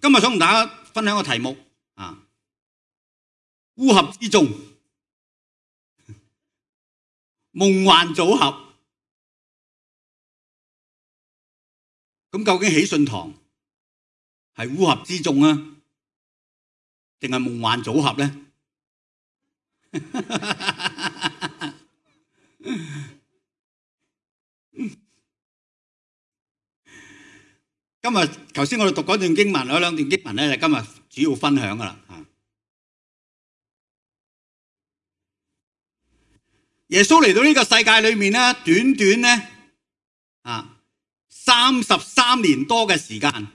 今日想同大家分享個題目烏合之眾，夢幻組合。咁究竟喜信堂係烏合之眾啊，定係夢幻組合呢？今日頭先我哋讀嗰段經文，有兩段經文咧，今日主要分享噶啦。耶穌嚟到呢個世界裏面咧，短短咧33年多嘅時間，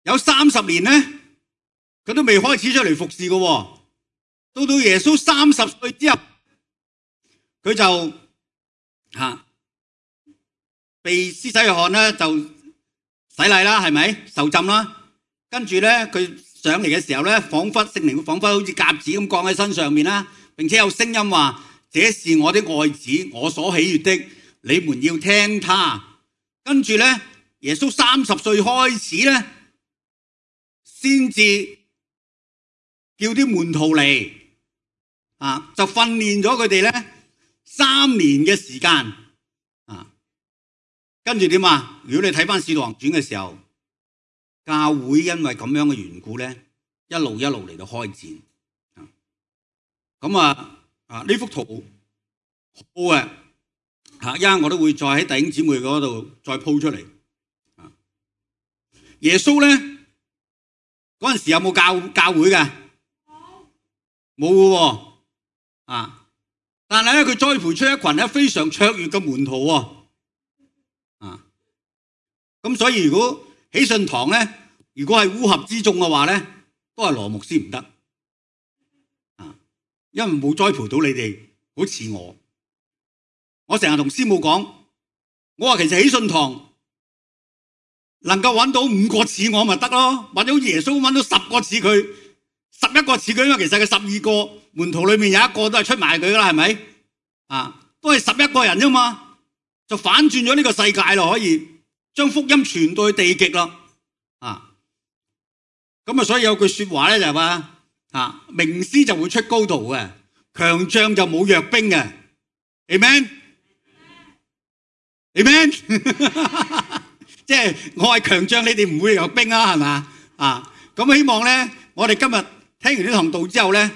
有30年咧，佢都未開始出嚟服侍嘅。到耶穌30歲之後，佢就被施洗約翰咧就洗禮啦，係咪？受浸啦，跟住咧佢上嚟嘅時候咧，聖靈彷彿好似鴿子咁降喺身上面啦，並且有聲音話：這是我的愛子，我所喜悅的，你們要聽他。跟住咧，耶穌30歲開始咧，先至叫啲門徒嚟，就訓練咗佢哋咧3年嘅時間。跟住點啊？如果你睇翻《使徒行傳》嘅時候，教會因為咁樣嘅緣故咧，一路嚟到開展。咁呢幅圖好嘅，一陣我都會再喺弟兄姊妹嗰度再鋪出嚟。耶穌咧嗰陣時有冇教會嘅？冇嘅喎，但係咧佢栽培出一群咧非常卓越嘅門徒喎。咁所以如果喜信堂咧，如果係烏合之眾嘅話咧，都係羅牧師唔得，因為冇栽培到你哋，好似我成日同師母講，我話其實喜信堂能夠揾到5個似我咪得咯，或者好似耶穌揾到10個似佢，11個似佢，因為其實佢12個門徒裏面有一個都係出賣佢噶啦，係咪？都係11個人啫嘛，就反轉咗呢個世界咯，可以將福音傳到去地極咯。咁所以有句說話咧就係話，名師就會出高徒嘅，強將就冇弱兵嘅。Amen， 即係我係強將，你哋唔會弱兵啊，係嘛？咁希望咧，我哋今日聽完呢堂道之後咧，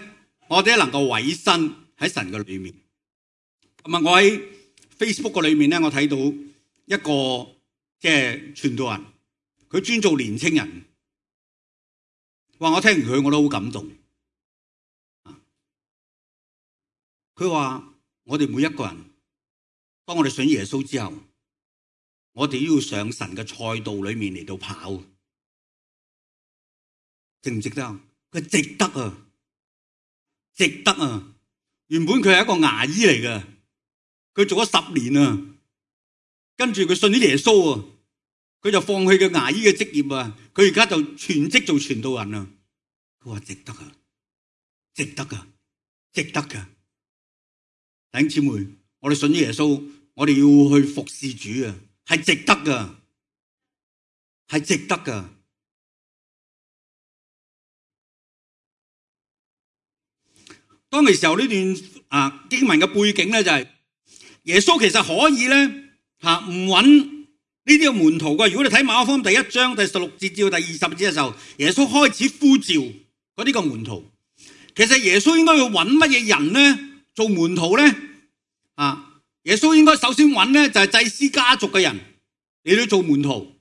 我哋能夠委身喺神嘅裏面。我喺 Facebook 嘅裏面咧，我睇到一個即係傳道人，佢專做年青人。話我聽完佢我都好感動。佢話我哋每一個人，當我哋信耶穌之後，我哋都要上神嘅賽道裏面嚟到跑，值唔值得啊？佢值得啊，值得啊！原本佢係一個牙醫嚟嘅，佢做咗10年啊，跟住佢信咗耶穌啊，佢就放棄佢牙醫嘅職業啊，佢而家就全職做傳道人啊。佢話值得啊，值得啊，值得噶！弟兄姊妹，我哋信咗耶穌，我哋要去服侍主啊，係值得噶，係值得噶。當其時候呢段經文嘅背景咧就係耶穌其實可以咧唔揾呢啲嘅門徒嘅。如果你睇馬可福音第1章第16節至到第20節嘅時候，耶穌開始呼召嗰啲個門徒。其實耶穌應該要揾乜嘢人咧做門徒咧？耶穌應該首先揾咧就係祭司家族嘅人嚟到做門徒。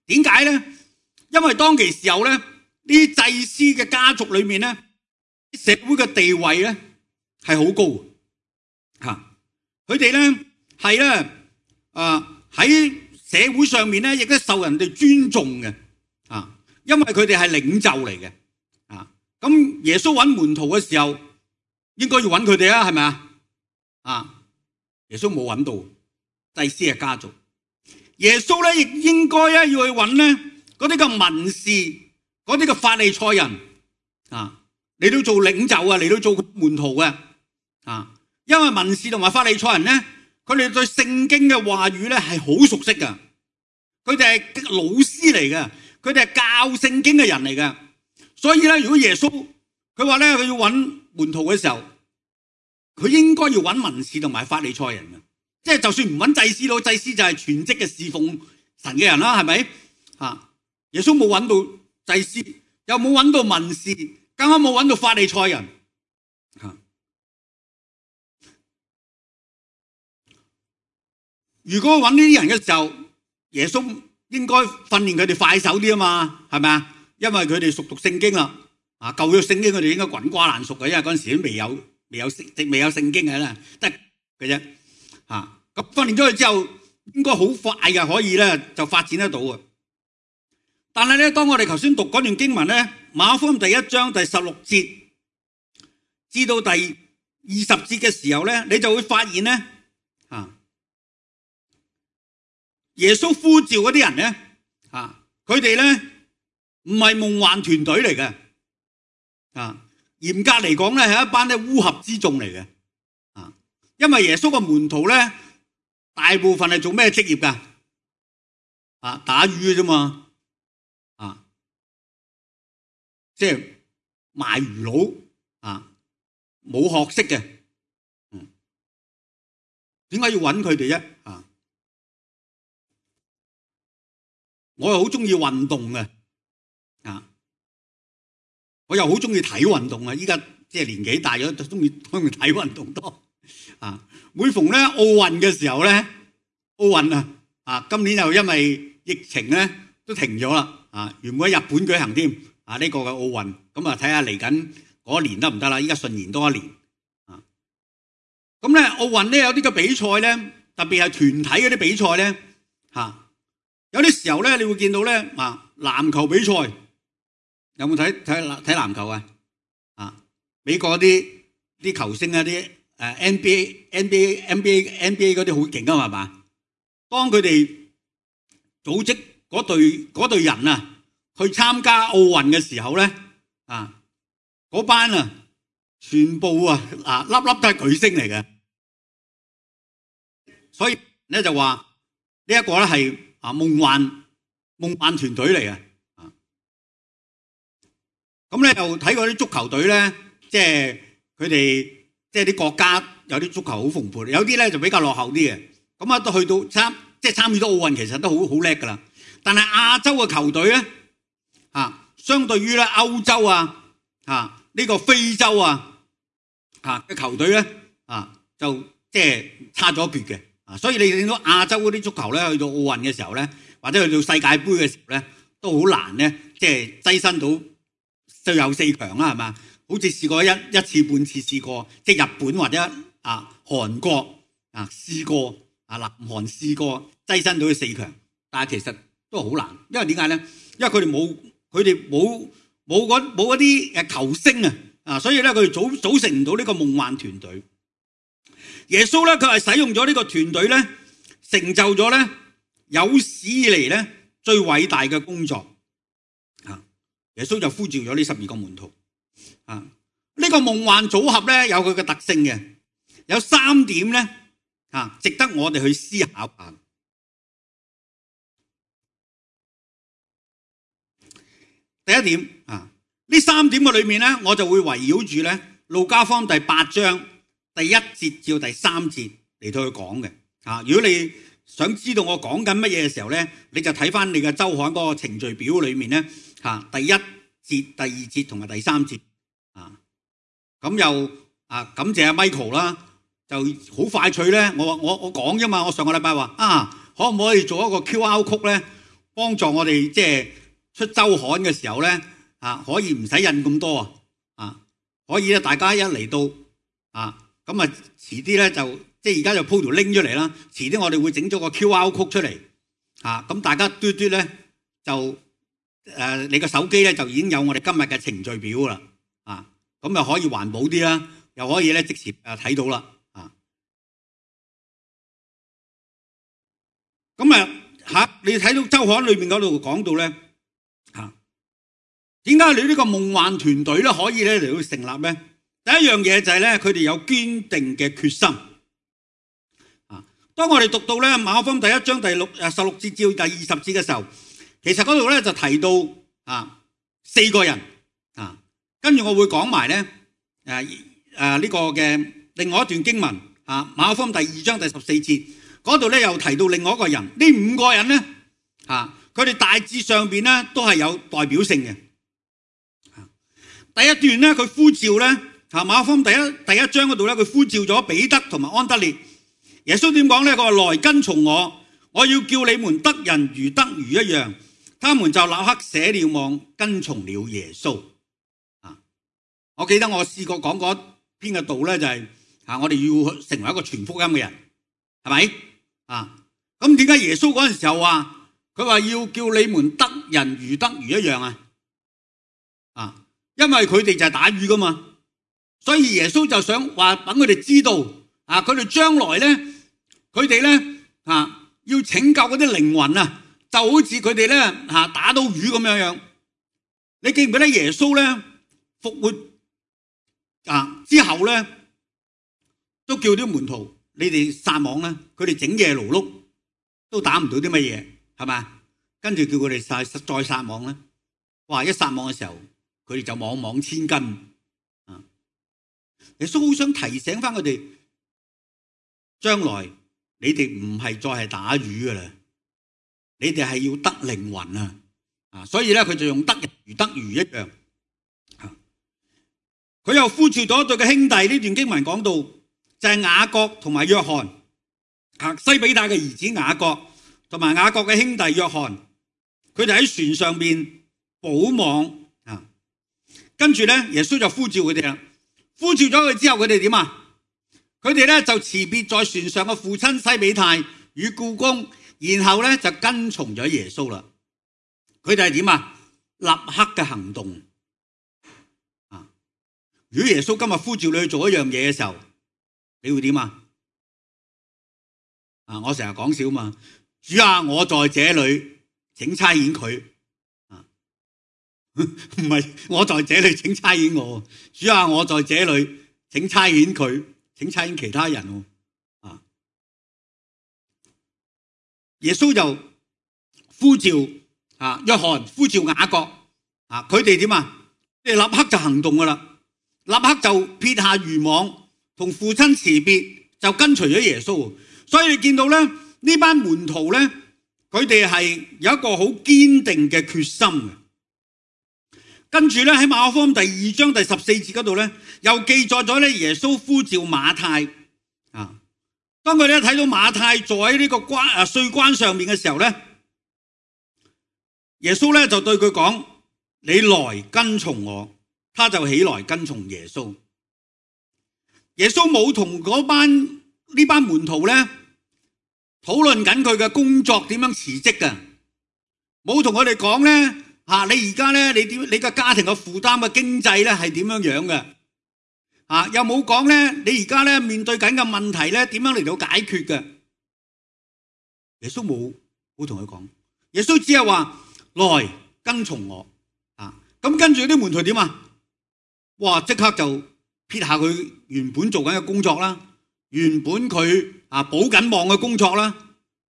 點解咧？因為當其時候咧，呢啲祭司嘅家族裏面咧，社會嘅地位咧係好高。佢哋咧係咧喺社會上面咧亦都受人哋尊重嘅。因為佢哋係領袖嚟嘅。咁耶穌揾門徒嘅時候，應該要揾佢哋啊，係咪啊？耶穌冇揾到祭司嘅家族，耶穌咧亦應該要去揾咧嗰啲嘅文士，嗰啲嘅法利賽人嚟到做領袖啊，嚟到做門徒嘅。因為文士同埋法利賽人咧，佢哋對聖經嘅話語咧係好熟悉噶，佢哋係老師嚟嘅，佢哋係教聖經嘅人嚟嘅。所以咧，如果耶穌佢話咧佢要揾門徒嘅時候，佢應該要揾文士同埋法利賽人嘅，即係就算唔揾祭司佬，祭司就係全職嘅侍奉神嘅人啦，係咪？耶穌冇揾到祭司，又冇揾到文士，更加冇揾到法利賽人。如果揾呢啲人嘅時候，耶穌應該訓練佢哋快手啲啊嘛，係咪啊？因為佢哋熟讀聖經啦，舊約聖經佢哋應該滾瓜爛熟嘅，因為嗰陣時都未有聖經嘅啦，得嘅啫。咁訓練咗佢之後，應該好快嘅，可以咧就發展得到啊。但係咧，當我哋頭先讀嗰段經文咧，馬可福音第1章第16節至到第20節嘅時候咧，你就會發現咧，耶穌呼召嗰啲人咧，佢哋咧唔係夢幻團隊嚟嘅，嚴格嚟講咧係一班咧烏合之眾嚟嘅，因為耶穌嘅門徒咧大部分係做咩職業噶？打魚嘅啫嘛，即係賣魚佬，冇學識嘅，點解要揾佢哋啫？我又好中意運動嘅，我又好中意睇運動啊！依家即係年紀大咗，就中意睇運動多。每逢咧奧運嘅時候咧，奧運今年又因為疫情咧都停咗啦。原本喺日本舉行添，呢個嘅奧運，咁啊睇下嚟緊嗰年得唔得啦？依家順延多一年。咁咧奧運咧有啲嘅比賽咧，特別係團體嗰啲比賽咧，有啲時候咧，你會見到咧，籃球比賽有冇睇籃球啊？美國啲球星啊，啲NBA嗰啲好勁啊嘛，當佢哋組織嗰隊人去參加奧運嘅時候咧，嗰班全部粒粒都係巨星嚟嘅，所以咧就話呢一個咧係夢幻團隊嚟嘅。咁咧又睇過啲足球隊咧，即係佢哋即係啲國家有啲足球好蓬勃，有啲咧就比較落後啲嘅。咁都去到參與到奧運，其實都好叻噶啦。但係亞洲嘅球隊咧，相對於咧歐洲呢個非洲嘅球隊咧，就即係差咗一橛嘅。所以你見到亞洲嗰啲足球咧，去到奧運嘅時候咧，或者去到世界盃嘅時候咧，都好難咧，即係躋身到最後4強啦，係嘛？好似試過一次半次試過，即係日本或者韓國試過，南韓試過躋身到去4強，但係其實都好難，因為點解咧？因為佢哋冇嗰啲球星所以咧佢哋組成唔到呢個夢幻團隊。耶穌咧佢係使用咗呢個團隊咧，成就咗咧有史以嚟咧最偉大嘅工作。耶穌就呼召咗呢12個門徒。呢個夢幻組合咧有佢嘅特性嘅，有3點咧值得我哋去思考下。第一點呢3點嘅裏面咧，我就會圍繞住咧路加福音第8章第1節至到第3節嚟到去講嘅。如果你想知道我講緊乜嘢嘅時候咧，你就睇翻你嘅周刊嗰個程序表裏面咧，第1節、第2節同埋第3節。咁又感謝阿 Michael 啦，就好快脆咧。我講啫嘛，我上個禮拜話可唔可以做一個 QR code 咧，幫助我哋即係出周刊嘅時候咧，可以唔使印咁多可以咧大家一嚟到咁遲啲咧就即係而家就鋪條 link 出嚟啦。遲啲我哋會整咗個 QR code 出嚟咁大家嘟嘟咧就你個手機咧就已經有我哋今日嘅程序表啦咁又可以環保啲啦，又可以咧即時睇到啦咁你睇到周刊裏面嗰度講到咧點解你呢個夢幻團隊咧可以咧嚟到成立咧？第一樣嘢就係咧佢哋有堅定嘅決心當我哋讀到咧馬可福音第1章第16節至第20節嘅時候，其實嗰度咧就提到4個人跟住我會講埋咧呢個嘅另外一段經文馬可福音第2章第14節嗰度咧又提到另外一個人。呢5個人咧佢哋大致上邊咧都係有代表性嘅。第一段咧佢呼召咧馬可福音第一章嗰度咧佢呼召咗彼得同埋安德烈。耶穌點講咧？佢話來跟從我，我要叫你們得人如得魚一樣。他們就立刻捨了網，跟從了耶穌。我記得我試過講過篇嘅道咧，就係我哋要成為一個傳福音嘅人，係咪？咁點解耶穌嗰陣時候話佢話要叫你們得人如得魚一樣因為佢哋就係打魚噶嘛，所以耶穌就想話等佢哋知道佢哋將來咧，佢哋咧要拯救嗰啲靈魂就好似佢哋咧打到魚咁樣樣。你記唔記得耶穌咧復活之後咧，都叫啲門徒你哋撒網咧，佢哋整夜勞碌都打唔到啲乜嘢，係咪？跟住叫佢哋再撒網咧，哇！一撒網嘅時候，佢哋就網網千斤。耶穌好想提醒翻佢哋，將來你哋唔係再係打魚噶啦，你哋係要得靈魂所以咧佢就用得人如得魚一樣。佢又呼召咗對嘅兄弟，呢段經文講到就係雅各同埋約翰，西比泰嘅兒子雅各同埋雅各嘅兄弟約翰，佢哋喺船上邊補網跟住咧耶穌就呼召佢哋啦。呼召咗佢之後，佢哋點佢哋咧就辭別在船上嘅父親西比泰與僱工，然後咧就跟從咗耶穌啦。佢哋係點立刻嘅行動。如果耶穌今日呼召你去做一樣嘢嘅時候，你會點我成日講笑嘛，主啊，我在這裏，請差遣佢。唔係我在這裏，請差遣我。主啊，我在這裏，請差遣佢，請差遣其他人。耶穌就呼召約翰，呼召雅各，佢哋點即係立刻就行動噶啦。立刻就撇下漁網，同父親辭別，就跟隨咗耶穌。所以你見到咧，呢班門徒咧，佢哋係有一個好堅定嘅決心嘅。跟住咧喺馬可福音第2章第14節嗰度咧，又記載咗咧耶穌呼召馬太。當佢哋睇到馬太坐喺呢個稅關上面嘅時候咧，耶穌咧就對佢講：你來跟從我。他就起來跟從耶穌。耶穌冇同呢班門徒咧討論緊佢嘅工作點樣辭職嘅，冇同佢哋講咧你而家咧你個家庭嘅負擔嘅經濟咧係點樣樣嘅又冇講咧你而家咧面對緊嘅問題咧點樣嚟到解決嘅。耶穌冇同佢講，耶穌只係話來跟從我咁跟住啲門徒點哇！即刻就撇下佢原本做緊嘅工作啦，原本佢補緊網嘅工作啦，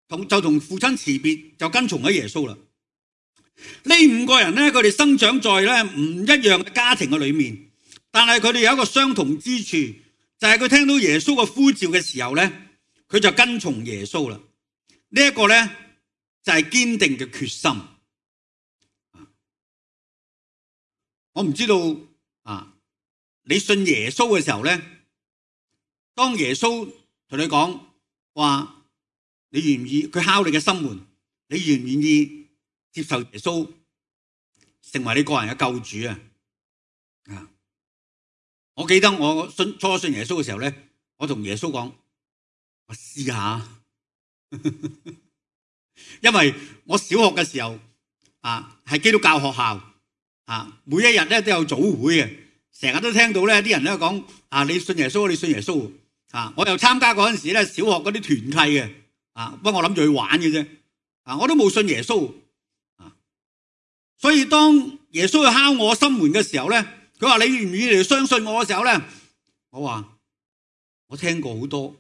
就同父親辭別，就跟從咗耶穌啦。呢5個人咧，佢哋生長在咧唔一樣嘅家庭嘅裏面，但係佢哋有一個相同之處，就係佢聽到耶穌嘅呼召嘅時候咧，佢就跟從耶穌啦。呢一個咧就係堅定嘅決心。我唔知道你信耶穌嘅時候咧，當耶穌同你講話，你願唔願意？佢敲你嘅心門，你願唔願意接受耶穌成為你個人嘅救主我記得我初信耶穌嘅時候咧，我同耶穌講：我試下，因為我小學嘅時候係基督教學校每一日咧都有早會嘅。成日都聽到咧啲人咧講你信耶穌，你信耶穌我又參加嗰陣時咧小學嗰啲團契嘅不過我諗住去玩嘅啫我都冇信耶穌所以當耶穌去敲我心門嘅時候咧，佢話你願唔願意嚟相信我嘅時候咧，我話我聽過好多，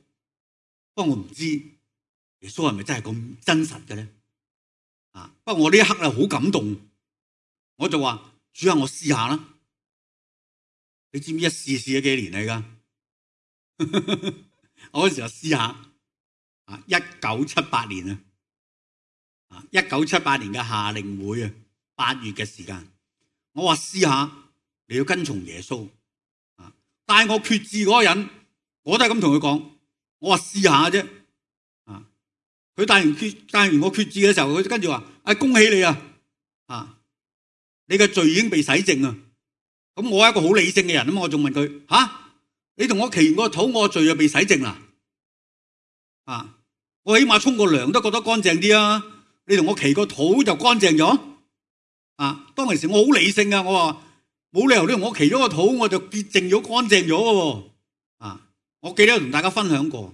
不過我唔知耶穌係咪真係咁真實嘅咧不過我呢一刻好感動，我就話主啊，我試下啦。你知唔知一試咗幾年嚟㗎？我嗰時候試下1978年1978年嘅夏令會8月嘅時間，我話試下你要跟從耶穌帶我決志嗰個人，我都係咁同佢講，我話試下啫。佢帶完我決志嘅時候，佢跟住話：恭喜你你嘅罪已經被洗淨啊！咁我係一個好理性嘅人啊嘛，我仲問佢：你同我祈完個禱，我罪就被洗淨啦？我起碼沖個涼都覺得乾淨啲啊！你同我祈個禱就乾淨咗？當其時我好理性啊，我話冇理由你同我祈咗個禱，我就潔淨咗、乾淨咗嘅喎。我記得同大家分享過。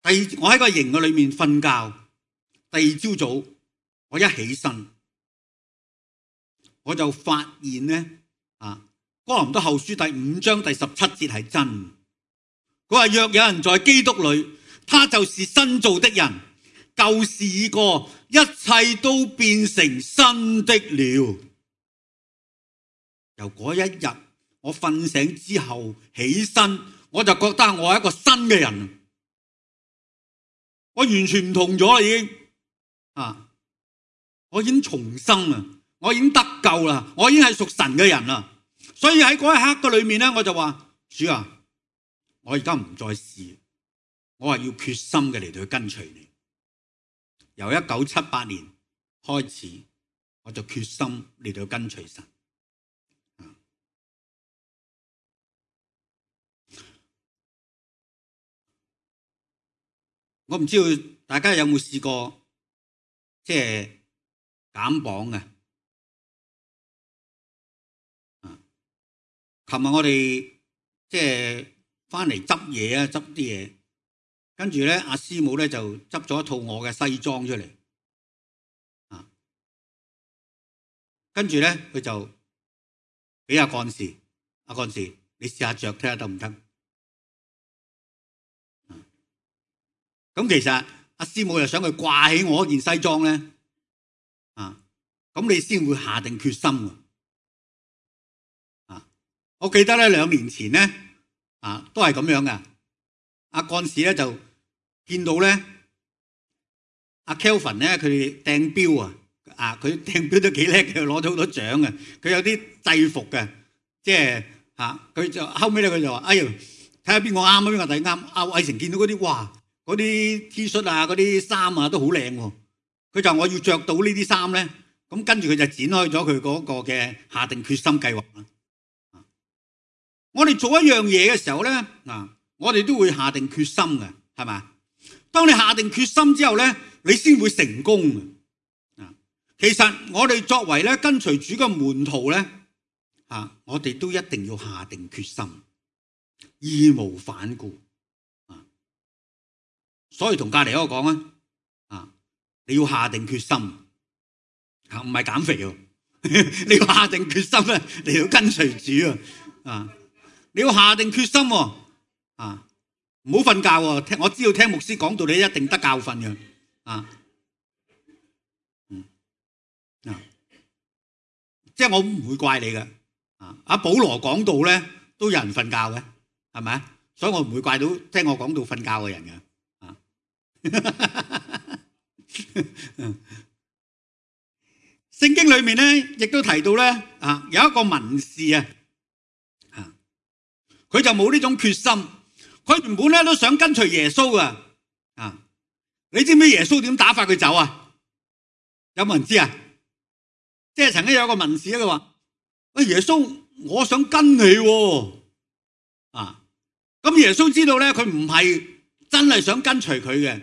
我喺個營嘅裏面瞓覺，第二朝早我一起身，我就發現咧，哥林多後書第5章第17節係真。佢話：若有人在基督裏，他就是新造的人，舊事已過，一切都變成新的了。由嗰一日我瞓醒之後起身，我就覺得我係一個新嘅人。我完全唔同咗啦，已經我已經重生啦，我已經得救啦，我已經係屬神嘅人啦。所以喺嗰一刻嘅裏面咧，我就話：主啊，我而家唔再試，我係要決心嘅嚟到去跟隨你。由1978年開始，我就決心嚟到跟隨神。我唔知道大家有冇試過即係減磅嘅？琴日我哋即係翻嚟執嘢執啲嘢，跟住咧阿師母咧就執咗一套我嘅西裝出嚟，跟住咧佢就俾阿幹事，你試下着睇下得唔得？咁其實阿師母又想佢掛起我件西裝咧，咁你先會下定決心。我記得咧2年前咧，都係咁樣嘅。阿幹事咧就見到咧，阿 Kelvin 咧佢掟標佢掟標都幾叻嘅，攞咗好多獎嘅。佢有啲制服嘅，即係佢就後尾咧佢就話：哎呀，睇下邊個啱邊個第啱。阿偉成見到嗰啲哇，嗰啲 T 恤嗰啲衫都好靚喎。佢就話我要着到呢啲衫咧，咁跟住佢就展開咗佢嗰個嘅下定決心計劃啦。我哋做一樣嘢嘅時候咧，我哋都會下定決心嘅，係咪？當你下定決心之後咧，你先會成功嘅。其實我哋作為咧跟隨主嘅門徒咧，我哋都一定要下定決心，義無反顧。所以同隔籬嗰個講你要下定決心，唔係減肥喎，你要下定決心咧，你要跟隨主你要下定決心唔好瞓覺我知道聽牧師講道，你一定得教訓嘅即係我唔會怪你嘅阿保羅講道咧都有人瞓覺嘅，係咪？所以我唔會怪到聽我講道瞓覺嘅人嘅聖經裏面咧亦都提到咧有一個文士佢就冇呢種決心，佢原本咧都想跟隨耶穌噶你知唔知耶穌點打發佢走啊？有冇人知啊？即係曾經有一個文士佢話：耶穌，我想跟你咁耶穌知道咧佢唔係真係想跟隨佢嘅，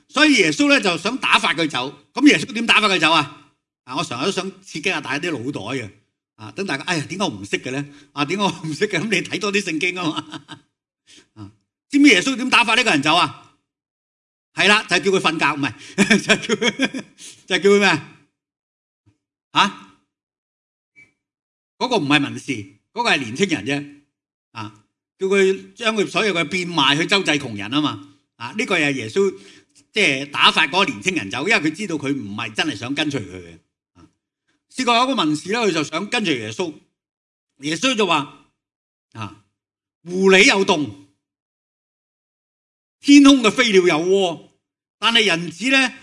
所以耶穌咧就想打發佢走。咁耶穌點打發佢走啊？我成日都想刺激下大家啲腦袋嘅等大家點解我唔識嘅咧？點解我唔識嘅？咁你睇多啲聖經啊嘛知唔知耶穌點打發呢個人走啊？係啦，就係叫佢瞓覺，唔係就係叫佢咩嗰個唔係文士，嗰個係年青人啫叫佢將佢所有嘅變賣去周濟窮人啊嘛呢個係耶穌即係打發嗰個年青人走，因為佢知道佢唔係真係想跟隨佢嘅。試過有個文士咧，佢就想跟隨耶穌，耶穌就話狐狸有洞，天空嘅飛鳥有窩，但係人子咧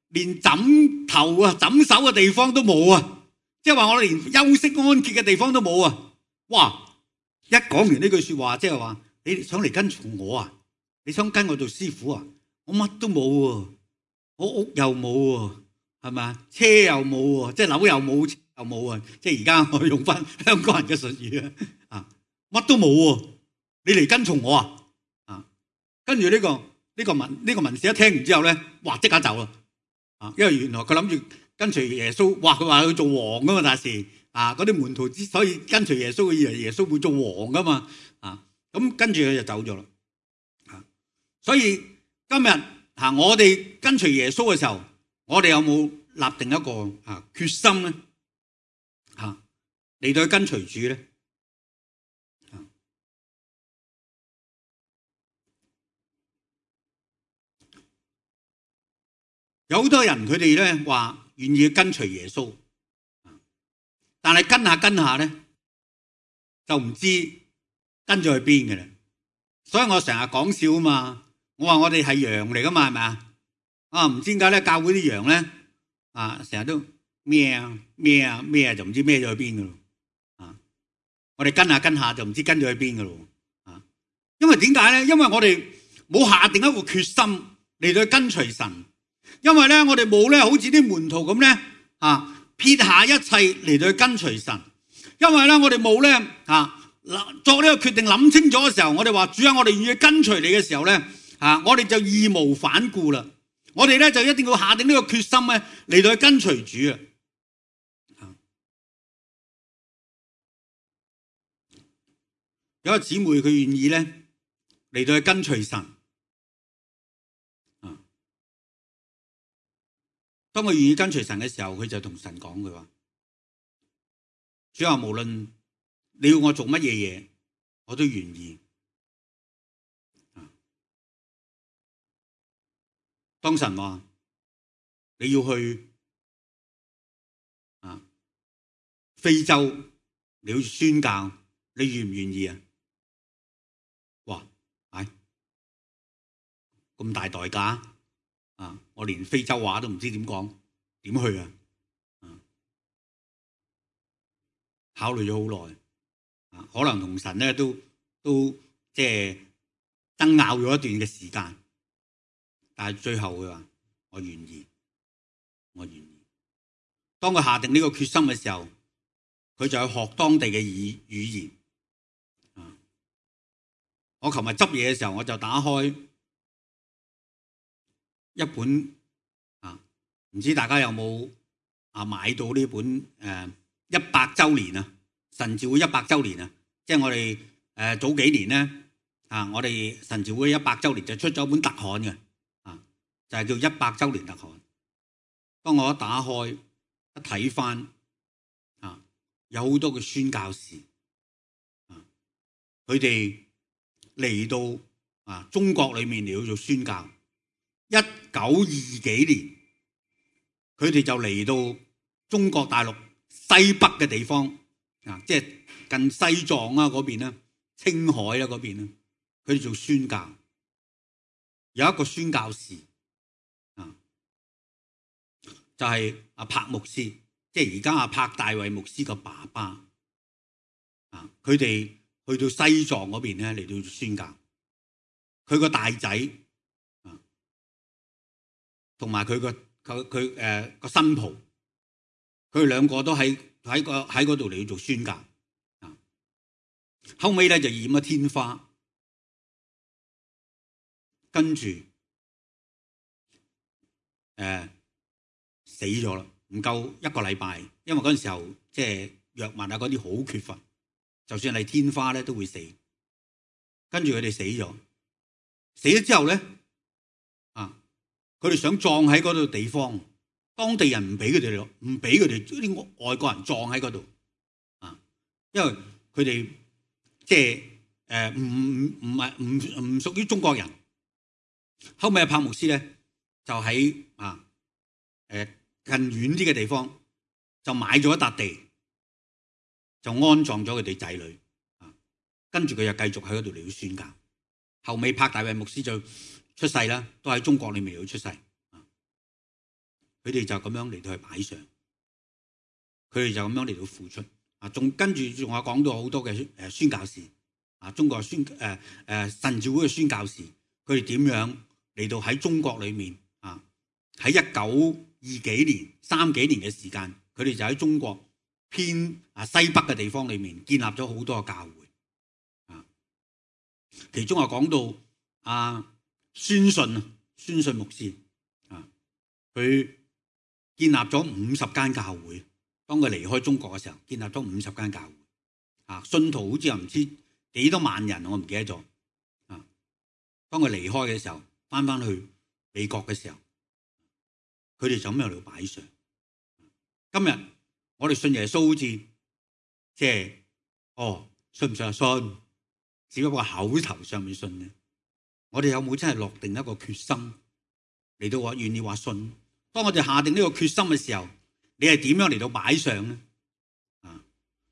連枕頭啊、枕手嘅地方都冇啊！即係話我哋連休息安歇嘅地方都冇啊！哇！一講完呢句說話，即係話你想嚟跟從我啊？你想跟我做師傅啊？我乜都冇喎，我屋又冇喎，係咪啊？車又冇喎，即係樓又冇，車又冇啊！即係而家我用翻香港人嘅術語啊，乜都冇喎，你嚟跟從我啊？跟住呢個文士一聽完之後咧，哇！即刻走啦！因為原來佢諗住跟隨耶穌，哇！佢話佢做王噶嘛，但係嗰啲門徒之所以跟隨耶穌，以為耶穌會做王噶嘛，咁跟住佢就走咗啦。所以今日我哋跟隨耶穌嘅時候，我哋有冇立定一個決心咧？嚟到去跟隨主咧？有好多人佢哋咧話願意跟隨耶穌，但係跟下咧就唔知跟咗去邊嘅啦。所以我成日講笑啊嘛，我話我哋係羊嚟噶嘛，係咪啊？唔知點解咧，教會啲羊咧成日都咩啊，就唔知咩咗去邊噶咯。我哋跟下就唔知跟咗去邊噶咯。因為點解咧？因為我哋冇下定一個決心嚟到去跟隨神。因為咧，我哋冇咧，好似啲門徒咁咧，撇下一切嚟到去跟隨神。因為咧，我哋冇咧，作呢個決定諗清楚嘅時候，我哋話主啊，我哋願意跟隨你嘅時候咧，我哋就義無反顧啦。我哋咧就一定要下定呢個決心咧，嚟到去跟隨主啊。有個姊妹佢願意咧嚟到去跟隨神。當佢願意跟隨神嘅時候，佢就同神講佢話：主啊，無論你要我做乜嘢嘢，我都願意。當神話你要去非洲，你要宣教，你願唔願意啊？哇！咁大代價我連非洲話都唔知點講，點去啊？考慮咗好耐，可能同神咧都即係爭拗咗一段嘅時間，但係最後佢話我願意，我願意。當佢下定呢個決心嘅時候，佢就去學當地嘅語言。我琴日執嘢嘅時候，我就打開一本唔知大家有冇買到呢本100週年啊，神召會100週年啊，即係我哋早幾年咧我哋神召會100週年就出咗一本特刊嘅就係叫100週年特刊。當我一打開一睇翻有好多嘅宣教士佢哋嚟到中國裏面嚟到做宣教。1920幾年，佢哋就嚟到中國大陸西北嘅地方，即係近西藏嗰邊啦、青海啦嗰邊啦，佢哋做宣教。有一個宣教士就係柏牧師，即係而家柏大衛牧師個爸爸。佢哋去到西藏嗰邊咧嚟到宣教，佢個大仔同埋佢個新抱，佢哋兩個都喺嗰度嚟做宣教。後尾咧就染咗天花，跟住死咗啦，唔夠1個禮拜，因為嗰陣時候即係藥物嗰啲好缺乏，就算係天花咧都會死。跟住佢哋死咗之後咧佢哋想葬喺嗰度地方，當地人唔俾佢哋，唔俾佢哋啲外國人葬喺嗰度因為佢哋即係唔屬於中國人。後尾柏牧師咧就喺近遠啲嘅地方就買咗一笪地，就安葬咗佢哋仔女。跟住佢又繼續喺嗰度嚟到宣教。後尾柏大衛牧師就出世啦，都喺中國裏面嚟到出世。佢哋就咁樣嚟到去擺上，佢哋就咁樣嚟到付出。仲跟住仲有講到好多嘅宣教士，中國神召會嘅宣教士，佢哋點樣嚟到喺中國裏面喺1920幾年30幾年嘅時間，佢哋就喺中國偏西北嘅地方裏面建立咗好多嘅教會。其中講到宣信牧師佢建立咗50間教會。當佢離開中國嘅時候，建立咗50間教會。信徒好似又唔知幾多萬人，我唔記得咗。當佢離開嘅時候，翻去美國嘅時候，佢哋就咁樣嚟擺上。今日我哋信耶穌，好似即係信唔信啊？信，只不過口頭上面信嘅。我哋有冇真係落定一個決心嚟到話願意話信？當我哋下定呢個決心嘅時候，你係點樣嚟到擺上呢？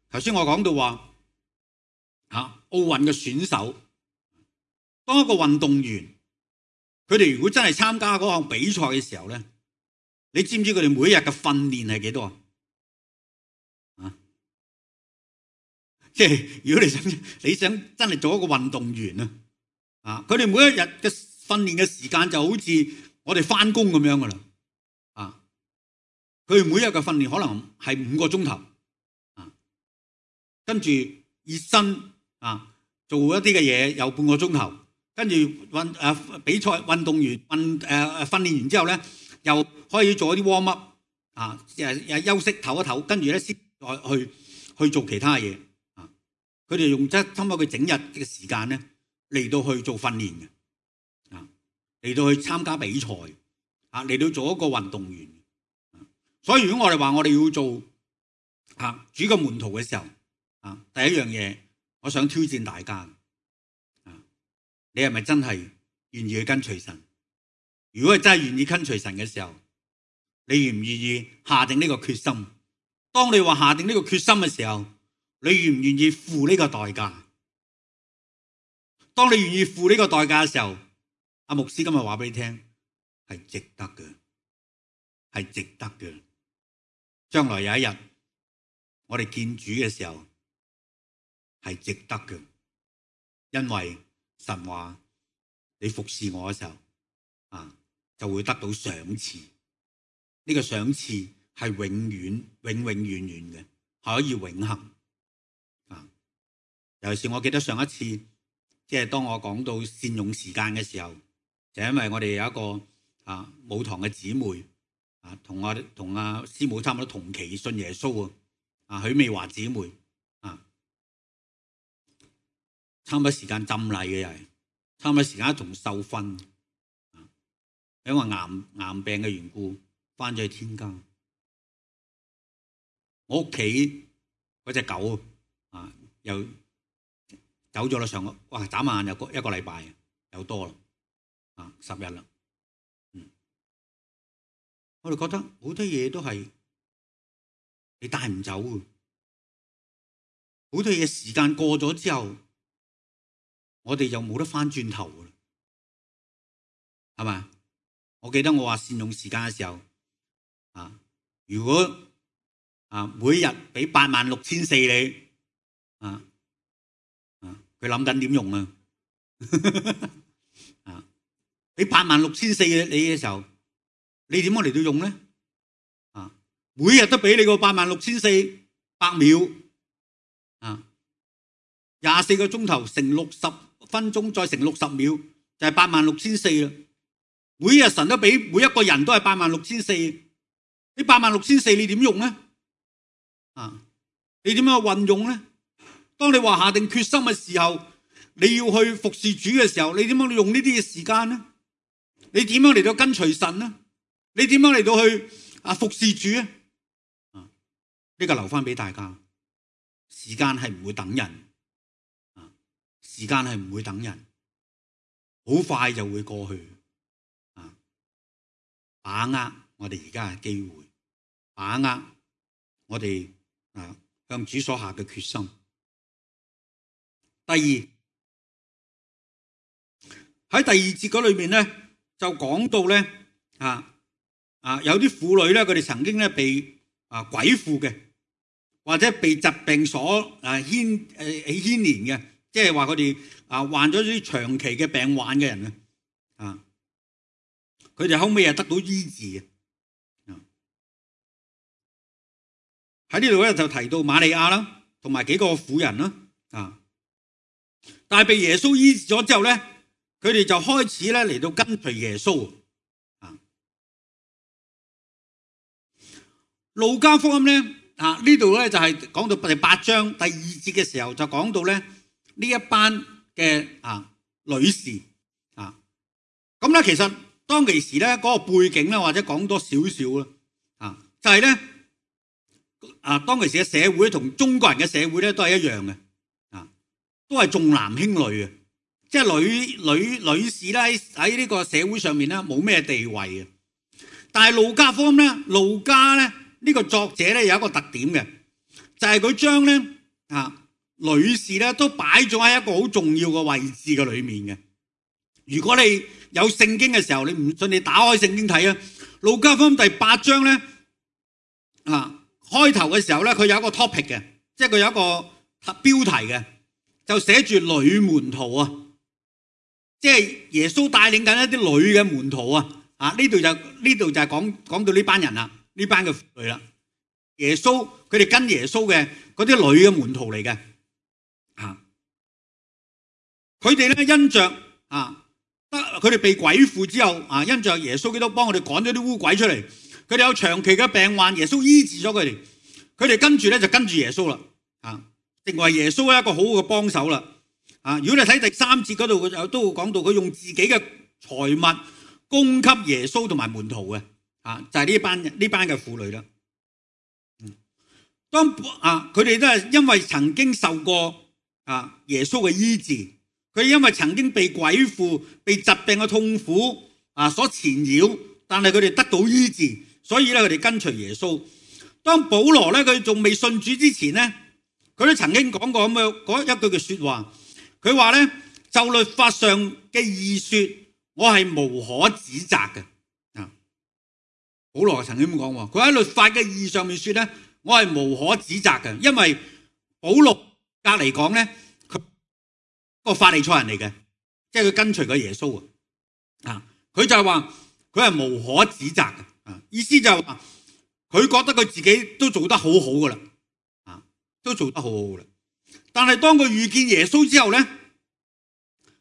頭先我講到話奧運嘅選手，當一個運動員，佢哋如果真係參加嗰項比賽嘅時候咧，你知唔知佢哋每日嘅訓練係幾多啊？即係如果你想真係做一個運動員佢哋每一日嘅訓練嘅時間就好似我哋翻工咁樣噶啦。佢哋每日嘅訓練可能係5個鐘頭，跟住熱身做一啲嘅嘢有半個鐘頭，跟住比賽運動員訓練完之後咧，又可以做一啲 warm up 休息唞一唞，跟住咧先再去做其他嘢。佢哋用差唔多佢整日嘅時間咧嚟到去做訓練嘅，嚟到去參加比賽，嚟到做一個運動員。所以如果我哋話我哋要做主嘅門徒嘅時候，第一樣嘢，我想挑戰大家，你係咪真係願意去跟隨神？如果係真係願意跟隨神嘅時候，你願唔願意下定呢個決心？當你話下定呢個決心嘅時候，你願唔願意付呢個代價？當你願意付呢個代價嘅時候，阿牧師今日話俾你聽，係值得嘅，係值得嘅。將來有一日我哋見主嘅時候係值得嘅，因為神話你服侍我嘅時候就會得到賞賜。呢個賞賜係永遠永永遠遠嘅，係可以永恆。尤其是我記得上一次即係當我講到善用時間嘅時候，就因為我哋有一個母堂嘅姊妹同阿師母差唔多同期信耶穌許美華姊妹差唔多時間浸禮嘅，又係差唔多時間一同受訓，因為癌病嘅緣故翻咗去天家。我屋企嗰隻狗又走咗啦，眨眼又一個禮拜又多啦，10日啦。我哋覺得好多嘢都係你帶唔走嘅，好多嘢時間過咗之後，我哋就冇得翻轉頭嘅啦，係咪？我記得我話善用時間嘅時候如果每日俾86,400你佢諗緊點用俾86,400你嘅時候，你點樣嚟到用咧？每日都俾你個86,400秒24個鐘頭乘60分鐘再乘60秒就係86,400啦。每日神都俾每一個人都係86,400，你86,400你點用咧？你點樣運用咧？當你話下定決心嘅時候，你要去服侍主嘅時候，你點樣用呢啲嘅時間咧？你點樣嚟到跟隨神咧？你點樣嚟到去服侍主啊？呢個留翻俾大家。時間係唔會等人，時間係唔會等人，好快就會過去。把握我哋而家嘅機會，把握我哋向主所下嘅決心。第二，喺第二節嗰裏面咧，就講到咧有啲婦女咧，佢哋曾經咧被鬼附嘅，或者被疾病所牽連嘅，即係話佢哋患咗啲長期嘅病患嘅人佢哋後尾得到醫治嘅。喺呢度咧就提到瑪利亞啦，同埋幾個婦人啦，但係被耶穌醫治咗之後咧，佢哋就開始咧嚟到跟隨耶穌。路加福音咧呢度咧就係講到第8章第2節嘅時候，就講到咧呢一班嘅女士咁咧，其實當其時咧嗰個背景咧，或者講多少少啦就係咧當其時嘅社會同中國人嘅社會咧都係一樣嘅都係重男輕女嘅，即係女士咧喺呢個社會上面咧冇咩地位嘅。但係路加福音咧，路加咧呢個作者咧有一個特點嘅，就係佢將咧女士咧都擺咗喺一個好重要嘅位置嘅裏面嘅。如果你有聖經嘅時候，你唔信你打開聖經睇路加福音第8章咧開頭嘅時候咧，佢有一個 topic 嘅，即係佢有一個標題嘅，就寫住女門徒即係耶穌帶領緊一啲女嘅門徒呢度就係講到呢班人啦，呢班嘅婦女啦，耶穌佢哋跟耶穌嘅嗰啲女嘅門徒嚟嘅佢哋咧因着佢哋被鬼附之後因着耶穌基督幫我哋趕咗啲污鬼出嚟，佢哋有長期嘅病患，耶穌醫治咗佢哋，佢哋跟住咧就跟住耶穌啦成為耶穌一個好好嘅幫手啦如果你睇第3節嗰度，佢都會講到佢用自己嘅財物供給耶穌同埋門徒嘅就係呢班嘅婦女啦。當佢哋都係因為曾經受過耶穌嘅醫治，佢因為曾經被鬼附、被疾病嘅痛苦所纏繞，但係佢哋得到醫治，所以咧佢哋跟隨耶穌。當保羅咧佢仲未信主之前咧，佢都曾經講過咁樣嗰一句嘅說話，佢話咧就律法上嘅義說，我係無可指責嘅。保羅曾經咁講，佢喺律法嘅義上面說咧，我係無可指責嘅，因為保羅隔嚟講咧，佢個法利賽人嚟嘅，即係佢跟隨個耶穌佢就係話佢係無可指責嘅意思就係話佢覺得佢自己都做得好好噶啦都做得好好噶啦。但係當佢遇見耶穌之後咧，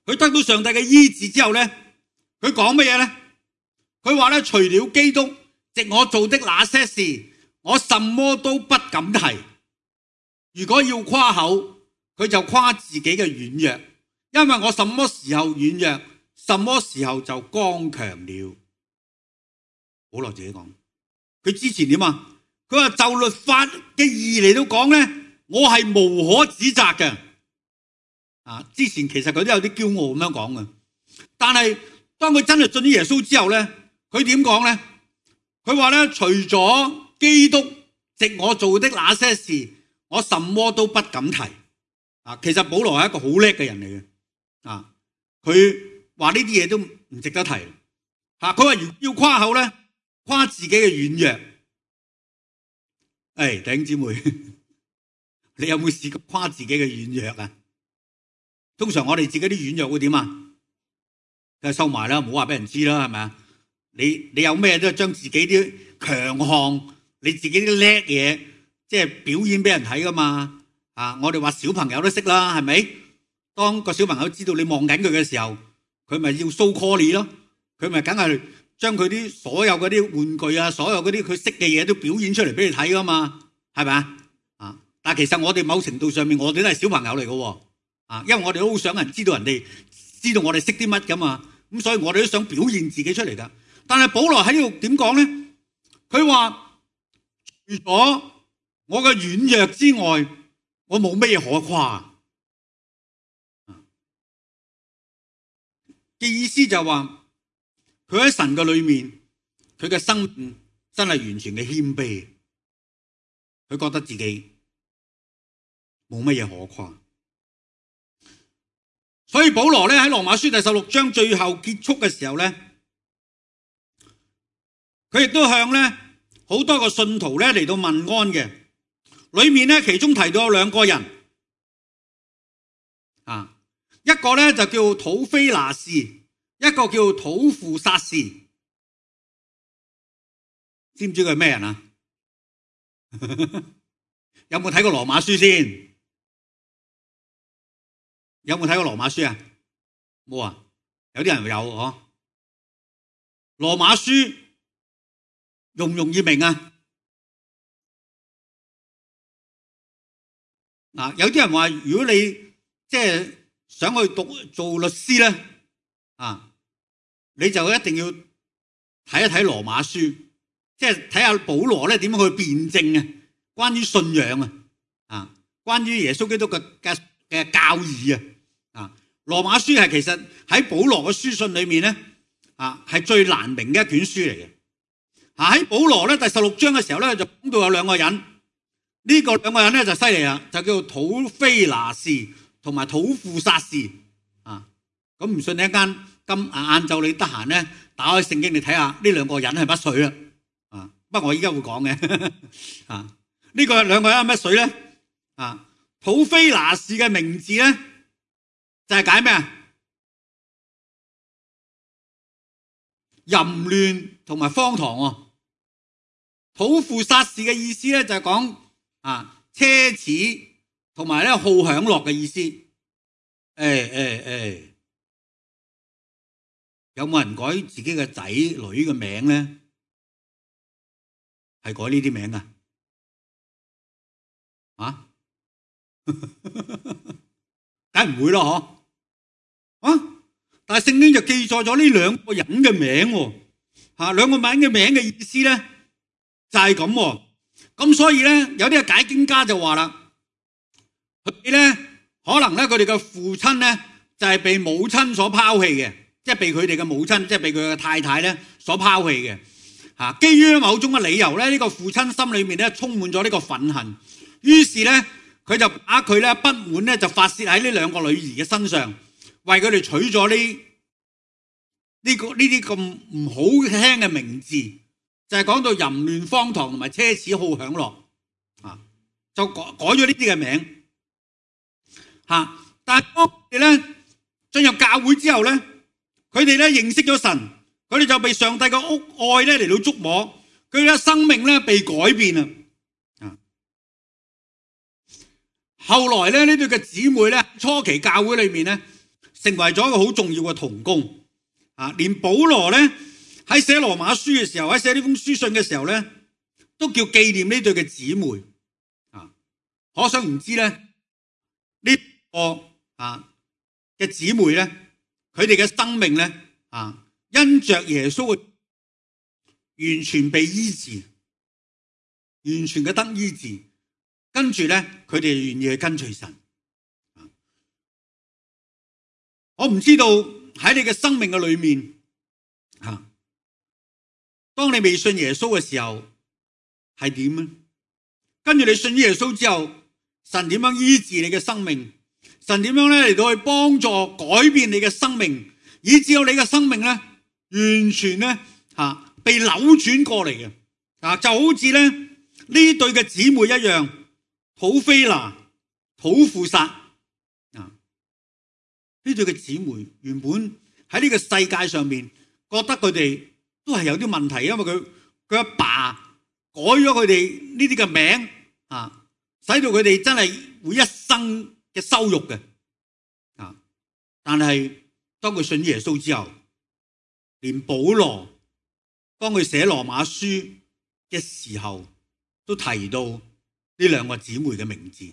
佢得到上帝嘅醫治之後咧，佢講乜嘢咧？佢話咧，除了基督藉我做的那些事，我什麼都不敢提。如果要誇口，佢就誇自己嘅軟弱，因為我什麼時候軟弱，什麼時候就剛強了。保羅自己講，佢之前點佢話就律法嘅義嚟到講咧，我係無可指責嘅。之前其實佢都有啲驕傲咁樣講嘅，但係當佢真係信咗耶穌之後咧，佢點講咧？佢話咧，除咗基督藉我做的那些事，我什麼都不敢提。其實保羅係一個好叻嘅人嚟嘅。佢話呢啲嘢都唔值得提。佢話要誇口咧，誇自己嘅軟弱。弟兄姊妹，你有冇試過誇自己嘅軟弱啊？通常我哋自己啲軟弱會點就收埋啦，唔好話俾人知啦，係咪啊？你有咩都係將自己啲強項，你自己啲叻嘢，即係表演俾人睇噶嘛。我哋話小朋友都識啦，係咪？當個小朋友知道你望緊佢嘅時候，佢咪要 show call 你咯，佢咪梗係將佢啲所有嗰啲玩具所有嗰啲佢識嘅嘢都表演出嚟俾你睇噶嘛，係咪啊？但係其實我哋某程度上面，我哋都係小朋友嚟噶，因為我哋都好想人知道我哋識啲乜噶嘛，咁所以我哋都想表現自己出嚟噶。但係保羅喺呢度點講咧？佢話除咗我嘅軟弱之外，我冇咩可誇嘅意思就係話佢喺神嘅裏面，佢嘅生命真係完全嘅謙卑，佢覺得自己冇乜嘢可誇。所以保羅咧喺羅馬書第16章最後結束嘅時候咧，佢亦都向咧好多個信徒咧嚟到問安嘅。裏面咧其中提到有兩個人啊，一個咧就叫土非拿士，一個叫土父撒士。知唔知佢係咩人啊？有冇睇過羅馬書先？有冇睇過羅馬書啊？冇啊？有啲人有嗬。羅馬書容唔容易明啊？嗱，有啲人話如果你即係想去做律師咧，你就一定要睇一睇羅馬書，即係睇下保羅咧點樣去辯證啊，關於信仰啊，關於耶穌基督嘅教義啊，羅馬書係其實喺保羅嘅書信裏面咧係最難明嘅一卷書嚟嘅。喺保羅咧第16章嘅時候咧就講到有兩個人，呢個兩個人咧就犀利啦，就叫土非拿士同埋土父撒士啊。咁唔信你一間今晏晝你得閒咧打開聖經你睇下呢兩個人係乜水啊？不過我依家會講嘅呢個兩個人係乜水咧？土非拿士嘅名字咧就係解咩啊？淫亂同埋荒唐喎。土父撒士嘅意思咧就係講奢侈同埋咧好享樂嘅意思。有冇人改自己嘅仔女嘅名咧？係改呢啲名噶？梗唔會咯，但係聖經就記載咗呢兩個人嘅名喎，兩個名嘅意思咧就係咁喎。咁所以咧有啲解經家就話啦，佢哋咧可能咧佢哋嘅父親咧就係被母親所拋棄嘅，即係被佢哋嘅母親，即係被佢嘅太太咧所拋棄嘅。基於某種嘅理由咧，呢個父親心裏面咧充滿咗呢個憤恨，於是咧佢就把佢咧不滿咧就發洩喺呢兩個女兒嘅身上，為佢哋取咗呢啲咁唔好聽嘅名字，就係講到淫亂、荒唐同埋奢侈、好享樂就改咗呢啲嘅名但係當佢哋咧進入教會之後咧，佢哋咧認識咗神，佢哋就被上帝嘅愛咧嚟到觸摸，佢哋嘅生命咧被改變啦。後來咧呢對嘅姊妹咧初期教會裏面咧成為咗一個好重要嘅同工連保羅咧喺寫羅馬書嘅時候，喺寫呢封書信嘅時候咧都叫紀念呢對嘅姊妹可想而知咧呢個嘅姊妹咧佢哋嘅生命咧因着耶穌完全被醫治，完全嘅得醫治，跟住咧佢哋願意去跟隨神。我唔知道喺你嘅生命嘅裏面當你未信耶穌嘅時候係點呢？跟住你信耶穌之後，神點樣醫治你嘅生命？神點樣咧嚟到去幫助改變你嘅生命，以至到你嘅生命咧完全咧被扭轉過嚟嘅就好似咧呢對嘅姊妹一樣，土非拿、土父撒呢對嘅姊妹原本喺呢個世界上面覺得佢哋都係有啲問題，因為佢阿爸改咗佢哋呢啲嘅名使到佢哋真係會一生嘅羞辱嘅但係當佢信耶穌之後，連保羅當佢寫羅馬書嘅時候都提到呢兩個姊妹嘅名字，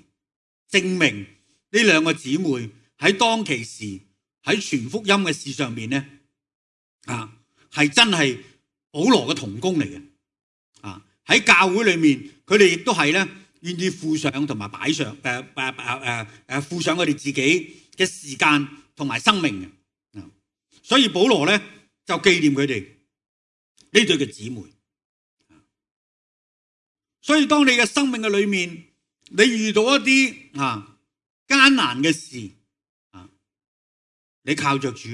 證明呢兩個姊妹喺當其時喺傳福音嘅事上面咧係真係保羅嘅同工嚟嘅喺教會裏面佢哋亦都係咧願意付上同埋擺上付上佢哋自己嘅時間同埋生命嘅所以保羅咧就紀念佢哋對嘅姊妹。所以當你嘅生命嘅裏面，你遇到一啲艱難嘅事，你靠着主，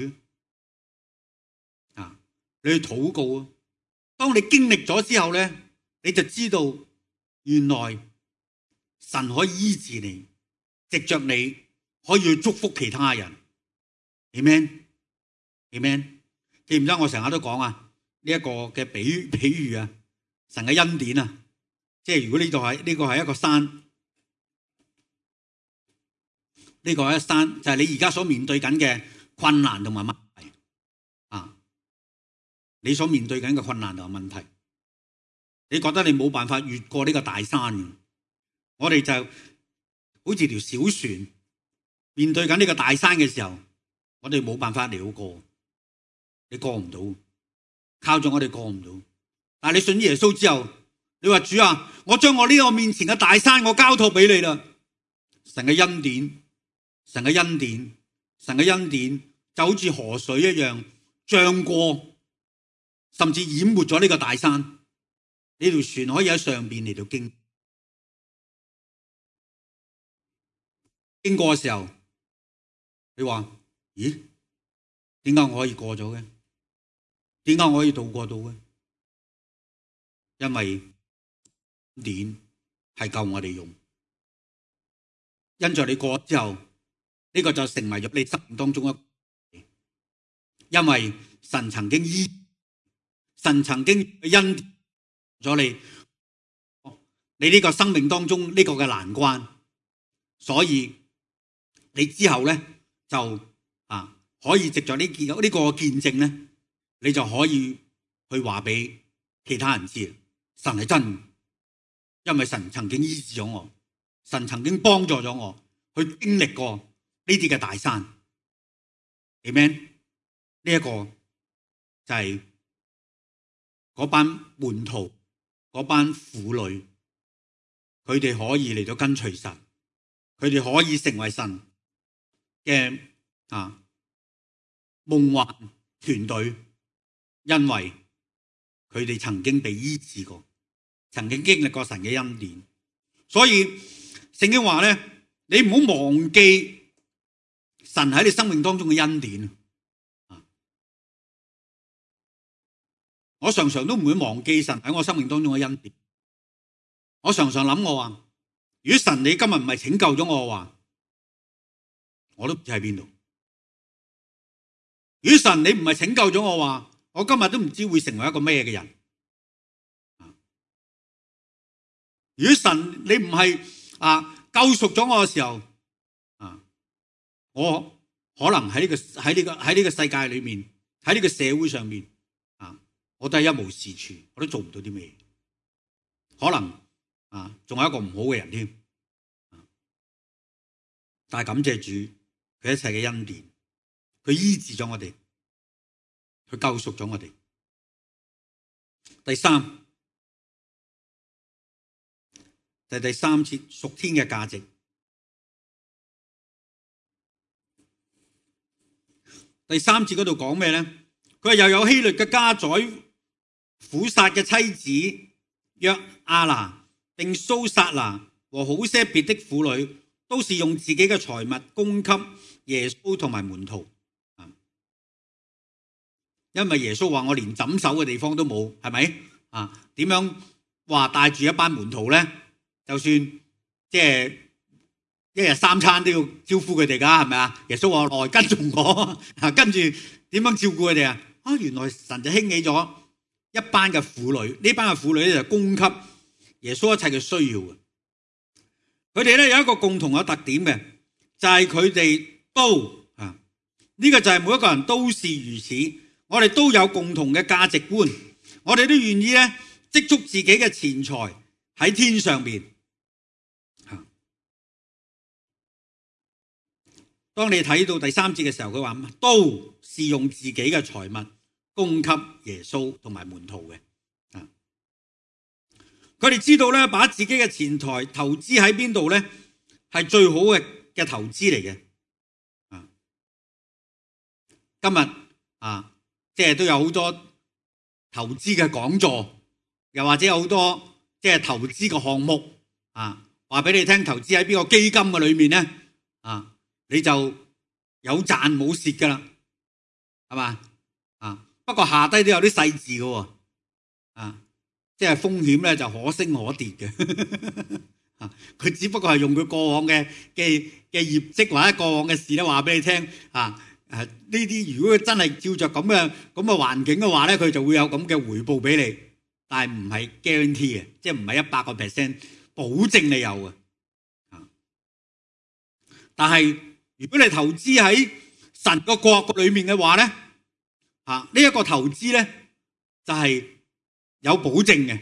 你去禱告啊！當你經歷咗之後咧，你就知道原來神可以醫治你，藉着你可以去祝福其他人。Amen。記唔記得我成日都講啊？呢一個嘅比喻啊，神嘅恩典啊，即係如果呢個係一個山，呢個係一山，就係你而家所面對緊嘅困難同埋問題啊！你所面對緊嘅困難同埋問題，你覺得你冇辦法越過呢個大山，我哋就好似條小船面對緊呢個大山嘅時候，我哋冇辦法嚟過，你過唔到，靠住我哋過唔到。但係你信耶穌之後，你話主啊，我將我呢個面前嘅大山我交託俾你啦。神嘅恩典，神嘅恩典，神嘅恩典就好似河水一樣漲過，甚至淹沒咗呢個大山。呢條船可以喺上邊嚟到經過嘅時候，你話咦？點解我可以過咗嘅？點解我可以渡過到嘅？因為鏈係夠我哋用，因着你過之後，呢個就成為咗你生命當中一，因為神曾經神曾經恩咗你呢個生命當中呢個嘅難關，所以你之後咧就可以藉着呢個見證咧，你就可以去話俾其他人知，神係真，因為神曾經醫治咗我，神曾經幫助咗我去經歷過呢啲嘅大山。Amen。呢一個就係嗰班門徒，嗰班婦女，佢哋可以嚟到跟隨神，佢哋可以成為神嘅夢幻團隊，因為佢哋曾經被醫治過，曾經經歷過神嘅恩典。所以聖經話咧，你唔好忘記神喺你生命當中嘅恩典。我常常都唔會忘記神喺我生命當中嘅恩典。我常常諗，我話如果神你今日唔係拯救咗我嘅話，我都唔知喺邊度。如果神你唔係拯救咗我話，我今日都唔知會成為一個咩嘅人。如果神你唔係救贖咗我嘅時候，我可能喺呢個世界裏面，喺呢個社會上面，我都係一無是處，我都做唔到啲咩，可能仲係一個唔好嘅人添。但係感謝主，佢一切嘅恩典，佢醫治咗我哋，佢救贖咗我哋。第三就係第三節屬天嘅價值。第三節嗰度講咩咧？佢話又有希律嘅家宰苦撒嘅妻子約亞拿，並蘇撒拿和好些別的婦女，都是用自己嘅財物供給耶穌同埋門徒。因為耶穌話我連枕手嘅地方都冇，係咪？點樣話帶住一班門徒咧？就算即係一日三餐都要招呼佢哋噶，係咪啊？耶穌話來跟從我，跟住點樣照顧佢哋啊？原來神就興起咗一班嘅婦女，呢班嘅婦女咧就供給耶穌一切嘅需要嘅。佢哋咧有一個共同嘅特點嘅，就係佢哋都呢個就係每一個人都是如此。我哋都有共同嘅價值觀，我哋都願意咧積蓄自己嘅錢財喺天上邊。當你睇到第三節嘅時候，佢話都是用自己嘅財物供給耶穌同埋門徒嘅。佢哋知道咧，把自己嘅錢財投資喺邊度咧，係最好嘅投資嚟嘅。今日即係都有好多投資嘅講座，又或者有好多即係投資嘅項目啊，話俾你聽投資喺邊個基金嘅裏面咧啊，你就有賺冇蝕噶啦，係嘛啊？不過下低都有啲細字嘅喎啊，即係風險咧就可升可跌嘅啊，佢只不過係用佢過往嘅業績或者過往嘅事咧話俾你聽啊。呢啲如果佢真係照着咁嘅環境嘅話咧，佢就會有咁嘅回報俾你，但係唔係 guarantee 嘅，即係唔係100% 保證你有嘅。但係如果你投資喺神個國裏面嘅話咧，呢一個投資咧就係有保證嘅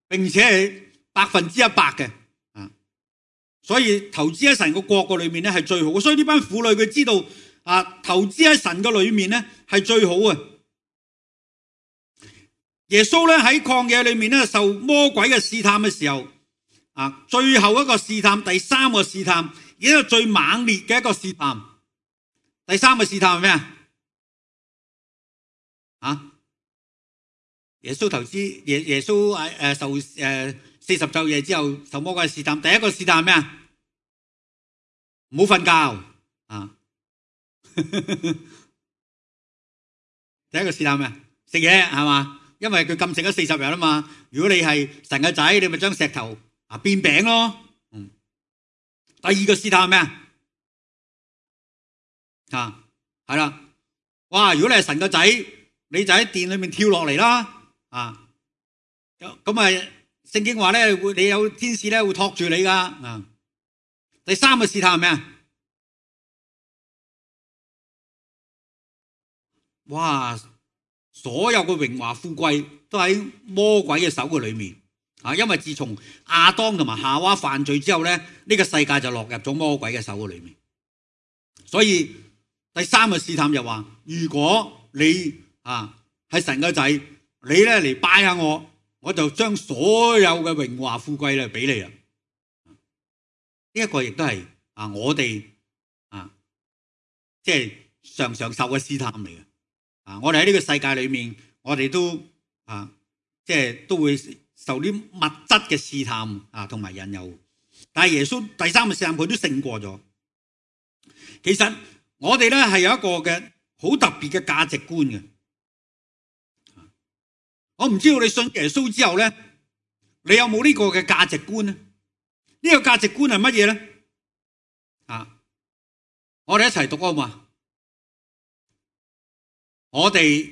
並且係100%嘅。所以投資喺神個國個裏面咧係最好嘅，所以呢班婦女佢知道投資喺神個裏面咧係最好嘅。耶穌咧喺曠野裏面咧受魔鬼嘅試探嘅時候最後一個試探，第三個試探，而且最猛烈嘅一個試探。第三個試探係咩耶穌投資耶穌受40晝夜之後受魔鬼嘅試探，第一個試探係咩唔好瞓覺第一個試探咩食嘢係嘛？因為佢禁食咗40日啊嘛。如果你係神嘅仔，你咪將石頭變餅咯。第二個試探係咩係啦，哇！如果你係神嘅仔，你就喺殿裏面跳落嚟啦咁聖經話咧，你有天使咧會托住你噶第三個試探係咩哇！所有嘅榮華富貴都喺魔鬼嘅手嘅裏面因為自從亞當同埋夏娃犯罪之後咧，呢個世界就落入咗魔鬼嘅手嘅裏面。所以第三個試探就話，如果你係神嘅仔，你咧嚟拜下我就將所有嘅榮華富貴咧俾你啦。呢一個亦都係我哋即係常常受嘅試探嚟嘅。我哋喺呢個世界裏面，我哋都即係都會受啲物質嘅試探同埋引誘。但係耶穌第三個試探佢都勝過咗。其實我哋咧係有一個嘅好特別嘅價值觀嘅。我唔知道你信耶穌之後咧，你有冇呢個嘅價值觀呢？呢個價值觀係乜嘢咧？我哋一齊讀啊嘛！我哋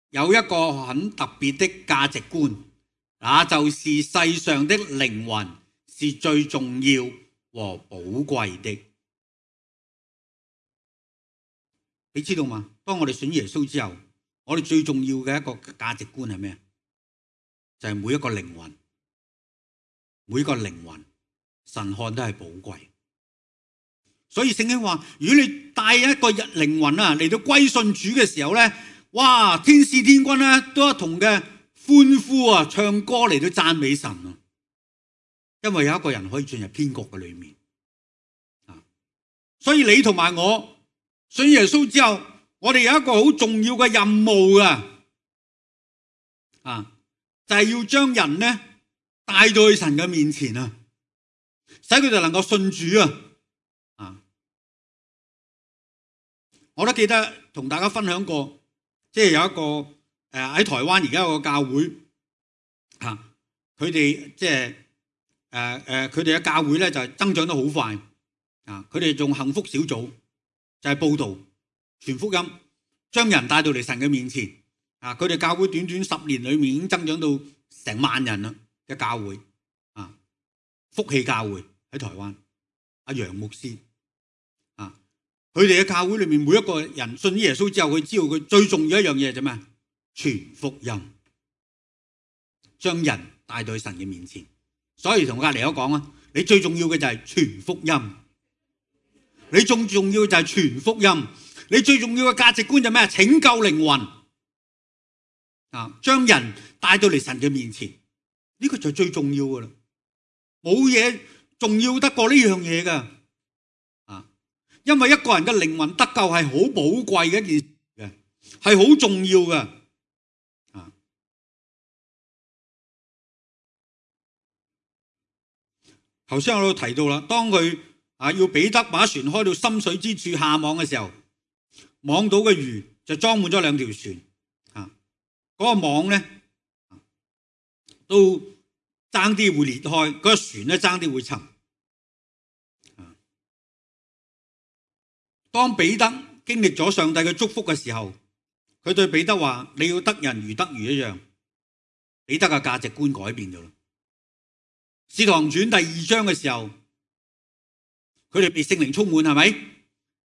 有一個很特別的價值觀，那就是世上的靈魂是最重要和寶貴的。你知道嗎？當我哋信耶穌之後，我哋最重要嘅一個價值觀係咩？就係每一個靈魂，每一個靈魂，神看都係寶貴。所以聖經話，如果你帶一個靈魂嚟到歸信主嘅時候咧，哇！天使天軍咧都一同嘅歡呼唱歌嚟到讚美神啊！因為有一個人可以進入天國嘅裏面所以你同埋我信耶穌之後，我哋有一個好重要嘅任務就係要將人咧帶到去神嘅面前使佢哋能夠信主我都記得同大家分享過，即係有一個喺台灣而家有個教會佢哋即係佢哋嘅教會咧就係增長得好快佢哋仲幸福小組就係報道傳福音，將人帶到嚟神嘅面前佢哋教會短短10年裏面已經增長到成萬人啦嘅教會福氣教會喺台灣阿楊牧師佢哋嘅教會裏面每一個人信耶穌之後，佢知道佢最重要一樣嘢係咩？傳福音，將人帶到神嘅面前。所以同隔籬友講你最重要嘅就係傳福音，你最重要就係傳福音，你最重要嘅價值觀就係咩？拯救靈魂將人帶到嚟神嘅面前，呢個就最重要噶啦，冇嘢重要得過呢樣嘢噶。因為一個人嘅靈魂得救係好寶貴嘅一件事嘅，係好重要嘅。頭先我都提到啦，當佢要彼得把船開到深水之處下網嘅時候，網到嘅魚就裝滿咗2條船，嗰個網咧都爭啲會裂開，嗰個船咧爭啲會沉。當彼得經歷咗上帝嘅祝福嘅時候，佢對彼得話：你要得人如得魚一樣。彼得嘅價值觀改變咗啦。使徒行傳第2章嘅時候，佢哋被聖靈充滿，係咪？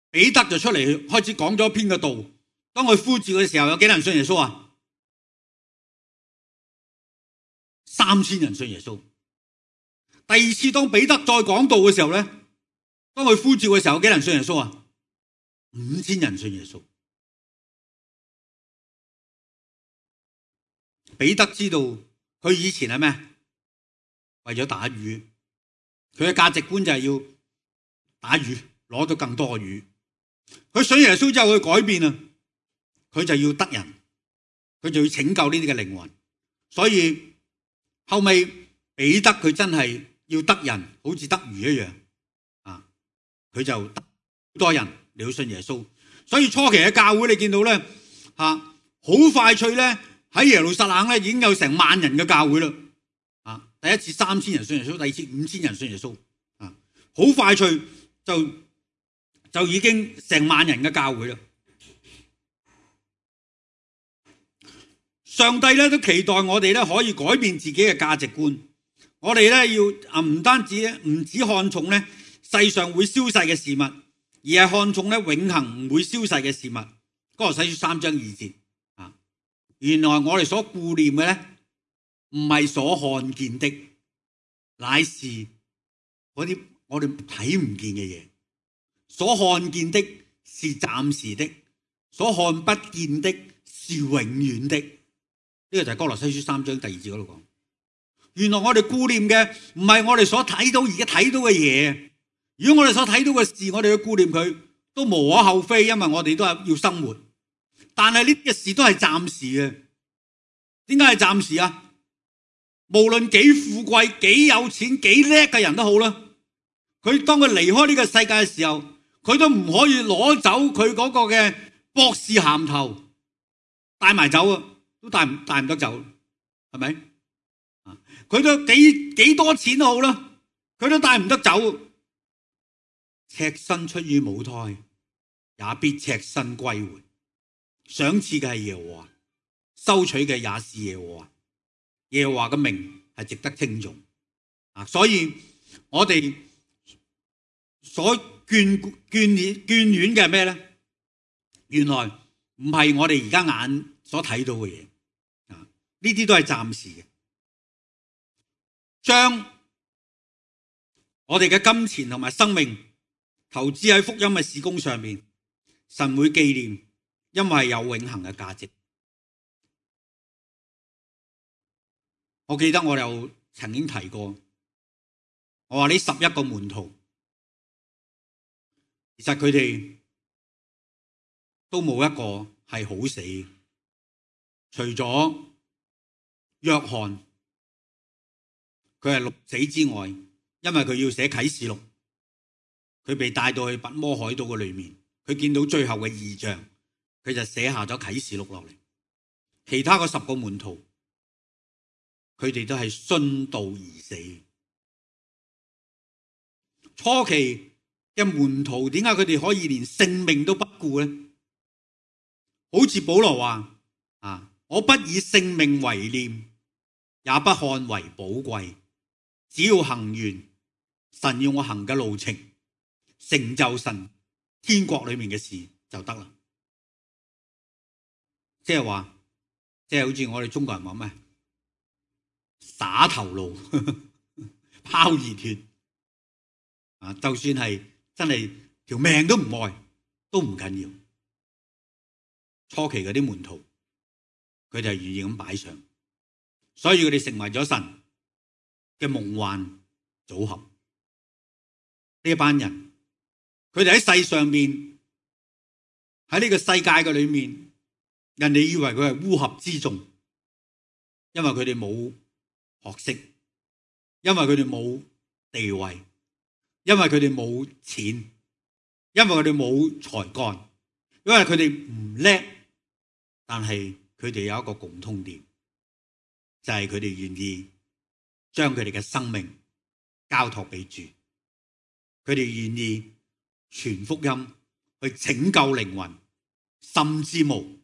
彼得就出嚟開始講咗一篇嘅道。當佢呼召嘅時候，有幾多人信耶穌啊？3000人信耶穌。第二次當彼得再講道嘅時候咧，當佢呼召嘅時候，有幾多人信耶穌啊？5000人信耶穌。彼得知道佢以前係咩？為咗打魚，佢嘅價值觀就係要打魚，攞到更多嘅魚。佢信耶穌之後，佢改變啦，佢就要得人，佢就要拯救呢啲嘅靈魂。所以後尾彼得佢真係要得人，好似得魚一樣佢就得好多人嚟到信耶穌。所以初期嘅教會你見到咧好快脆咧，喺耶路撒冷咧已經有成10000人嘅教會啦。第一次3000人信耶穌，第二次5000人信耶穌，好快脆就已經成10000人嘅教會啦。上帝咧都期待我哋咧可以改變自己嘅價值觀。我哋咧要唔止看重咧世上會消逝嘅事物，而係看重咧永恆唔會消逝嘅事物。哥羅西書3章2節原來我哋所顧念嘅咧，唔係所看見的，乃是嗰啲我哋睇唔見嘅嘢。所看見的是暫時的，所看不見的是永遠的。呢個就係哥羅西書3章第2節嗰度講。原來我哋顧念嘅唔係我哋所睇到而家睇到嘅嘢。如果我哋所睇到嘅事，我哋去顧念佢，都無可厚非，因為我哋都係要生活。但係呢啲事都係暫時嘅。點解係暫時啊？無論幾富貴、幾有錢、幾叻嘅人都好啦，佢當佢離開呢個世界嘅時候，佢都唔可以攞走佢嗰個嘅博士銜頭，帶埋走啊，都帶唔得走，係咪？佢都幾多錢都好啦，佢都帶唔得走。赤身出於母胎，也必赤身歸回。賞賜嘅係耶和華，收取嘅也是耶和華。耶和華嘅名係值得稱頌。所以我哋所眷戀嘅係咩咧？原來唔係我哋而家眼所睇到嘅嘢，呢啲都係暫時嘅。將我哋嘅金錢同埋生命投資喺福音嘅事工上面，神會紀念，因為有永恆嘅價值。我記得我又曾經提過，我話呢11個門徒，其實佢哋都冇一個係好死，除咗約翰，佢係六死之外，因為佢要寫啟示錄，佢被帶到去拔摩海島嘅裏面，佢見到最後嘅異象，佢就寫下咗啟示錄落嚟。其他嗰10個門徒，佢哋都係殉道而死。初期嘅門徒，點解佢哋可以連性命都不顧呢？好似保羅話我不以性命為念，也不看為寶貴，只要行完神要我行嘅路程，成就神天國裏面嘅事就得啦。即係話，即係好似我哋中國人話咩？灑頭路，拋熱血。就算係真係條命都唔愛，都唔緊要。初期嗰啲門徒，佢哋係願意咁擺上，所以佢哋成為咗神嘅夢幻組合。呢一班人，佢哋喺世上面，喺呢個世界嘅裏面，人哋以為佢係烏合之眾，因為佢哋冇學識，因為佢哋冇地位，因為佢哋冇錢，因為佢哋冇才幹，因為佢哋唔叻，但係佢哋有一個共通點，就係佢哋願意將佢哋嘅生命交託俾主，佢哋願意傳福音去拯救靈魂，甚至無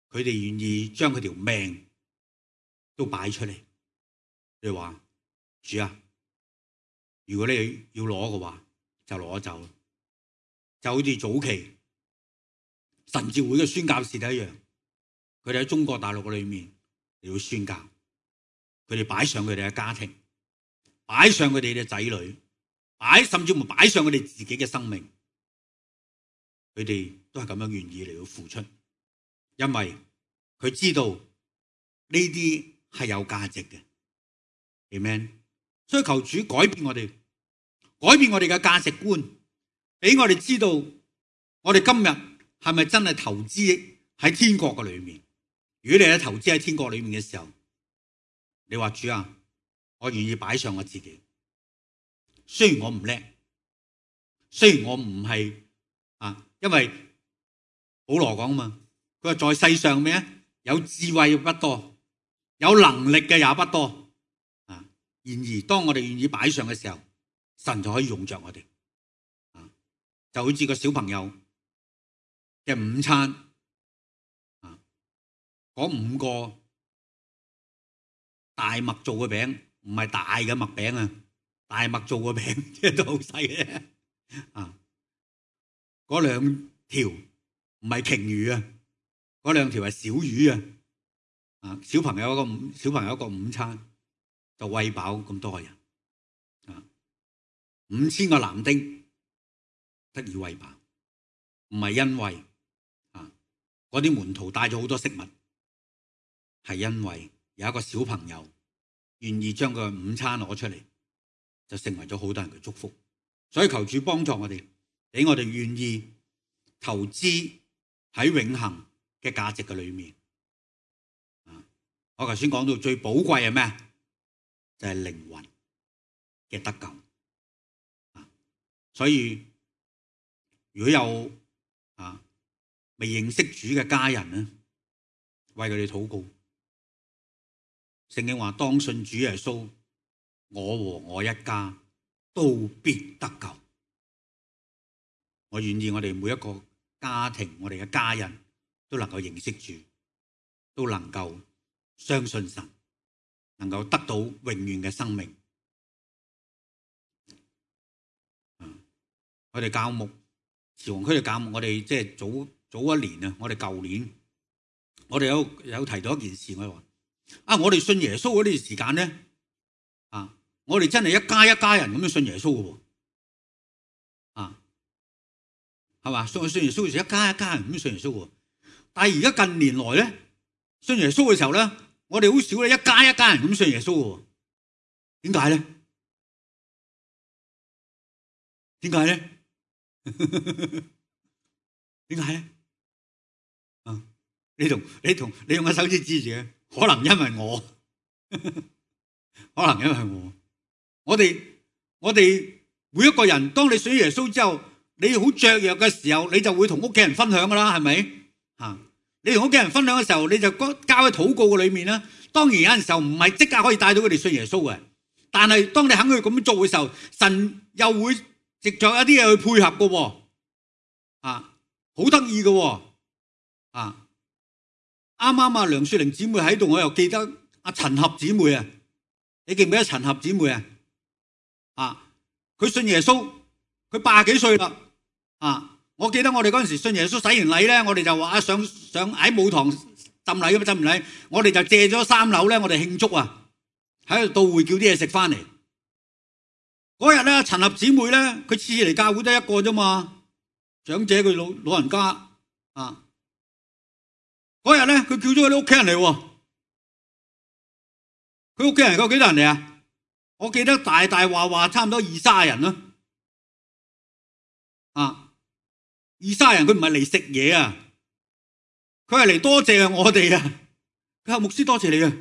佢哋願意將佢條命都擺出嚟。你話主啊，如果你要攞嘅話，就攞走，就好似早期神召會嘅宣教士一樣，佢哋喺中國大陸裏面嚟到宣教，佢哋擺上佢哋嘅家庭，擺上佢哋嘅仔女，甚至乎擺上佢哋自己嘅生命，佢哋都係咁樣願意嚟到付出，因為佢知道呢啲係有價值嘅。Amen。所以求主改變我哋嘅價值觀，俾我哋知道我哋今日係咪真係投資喺天國嘅裏面。如果你係投資喺天國裏面嘅時候，你話主啊，我願意擺上我自己，雖然我唔叻，雖然我唔係因為保羅講啊嘛，佢話在世上咩有智慧不多，有能力嘅也不多。然而當我哋願意擺上嘅時候，神就可以用着我哋。就好似個小朋友嘅午餐，嗰5個大麥做嘅餅，唔係大嘅麥餅啊，大麥做嘅餅即係都好細嘅。嗰2條唔係鯨魚啊，嗰2條係小魚啊。小朋友一個午餐就餵飽咁多人，5000個男丁得以餵飽，唔係因為嗰啲門徒帶咗好多食物，係因為有一個小朋友願意將個午餐攞出嚟，就成為咗好多人嘅祝福。所以求主幫助我哋，俾我哋願意投資喺永恆嘅價值嘅裏面。我頭先講到最寶貴係咩？就係靈魂嘅得救。所以如果有未認識主嘅家人咧，為佢哋禱告。聖經話當信主耶穌，我和我一家都必得救。我願意我哋每一個家庭，我哋嘅家人都能夠認識主，都能夠相信神，能夠得到永遠嘅生命。我哋教牧慈洪區嘅教牧，我哋即係早一年啊，我哋舊年我哋有提到一件事，我哋話我哋信耶穌嗰段時間咧，我哋真係一家人咁樣信耶穌嘅喎，係嘛？信耶穌嘅時候一家人咁樣信耶穌喎。但係而家近年來咧，信耶穌嘅時候咧，我哋好少咧一家人咁信耶穌嘅喎。點解咧？點解咧？點解咧？你用個手指指住嘅，可能因為我，我哋每一個人，當你信耶穌之後，你好雀躍嘅時候，你就會同屋企人分享噶啦，係咪？你同屋企人分享嘅時候，你就交喺禱告嘅裏面啦。當然有陣時候唔係即刻可以帶到佢哋信耶穌嘅，但係當你肯去咁樣做嘅時候，神又會藉着一啲嘢去配合嘅喎，好得意嘅喎，啱啱梁雪玲姊妹喺度，我又記得阿陳合姊妹啊，你記唔記得陳合姊妹啊？佢信耶穌，佢80幾歲啦，我記得我哋嗰陣時信耶穌洗完禮咧，我哋就話上喺母堂浸禮咁浸完禮，我哋就借咗3樓咧，我哋慶祝啊，喺度到會叫啲嘢食翻嚟。嗰日咧，陳合姊妹咧，佢次次嚟教會得一個啫嘛，長者佢老人家嗰日咧，佢叫咗佢啲屋企人嚟喎。佢屋企人有幾多人嚟啊？我記得大話差唔多20-30人啦。20-30人，佢唔係嚟食嘢啊，佢係嚟多謝我哋啊。佢話牧師多謝你啊，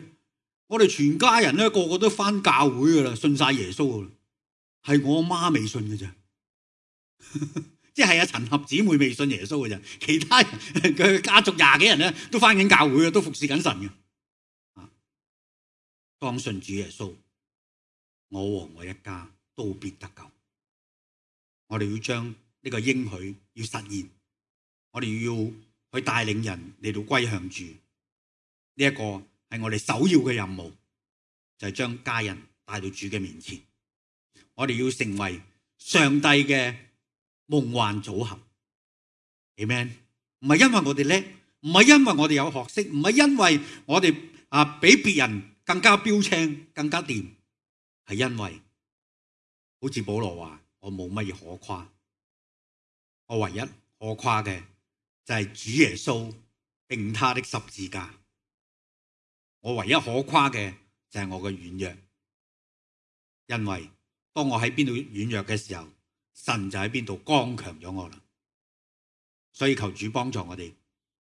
我哋全家人咧個個都返教會噶啦，信晒耶穌噶啦。係我媽未信嘅咋，即係阿陳合姊妹未信耶穌嘅咋，其他人嘅家族20幾人咧都返緊教會嘅，都服侍緊神嘅。當信主耶穌，我和我一家都必得救。我哋要將呢個應許要實現，我哋要去帶領人嚟到歸向主。呢一個係我哋首要嘅任務，就係將家人帶到主嘅面前。我哋要成為上帝嘅夢幻組合。Amen。唔係因為我哋叻，唔係因為我哋有學識，唔係因為我哋比別人更加標青、更加掂，係因為好似保羅話：我冇乜嘢可誇，我唯一可誇嘅就係主耶穌並他的十字架。我唯一可誇嘅就係我嘅軟弱，因為當我喺邊度軟弱嘅時候，神就喺邊度剛強咗我啦。所以求主幫助我哋，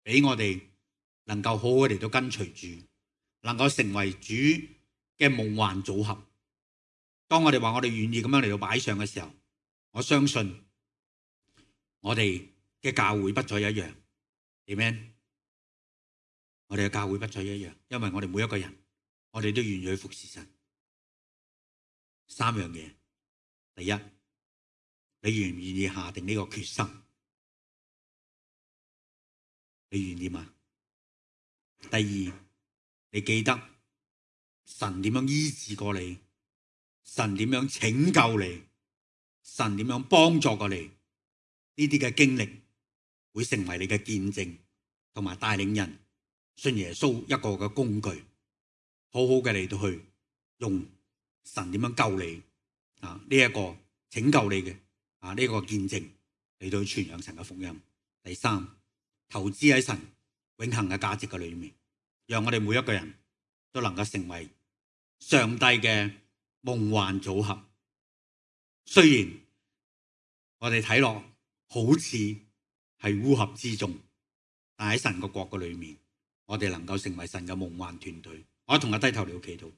俾我哋能夠好好嚟到跟隨主，能夠成為主嘅夢幻組合。當我哋話我哋願意咁樣嚟到擺上嘅時候，我相信我哋嘅教會不再一樣。Amen。我哋嘅教會不再一樣，因為我哋每一個人，我哋都願意去服侍神。三樣嘢，第一，你願唔願意下定呢個決心？你願意嗎？第二，你記得神點樣醫治過你，神點樣拯救你，神點樣幫助過你，呢啲嘅經歷會成為你嘅見證，同埋帶領人信耶穌一個嘅工具，好好嘅嚟到去用神點樣救你呢一個拯救你嘅呢個見證嚟到傳揚神嘅福音。第三，投資喺神永恆嘅價值嘅裏面，讓我哋每一個人都能夠成為上帝嘅夢幻組合。雖然我哋睇落好似係烏合之眾，但喺神嘅國嘅裏面，我哋能夠成為神嘅夢幻團隊。我同佢低頭了祈禱。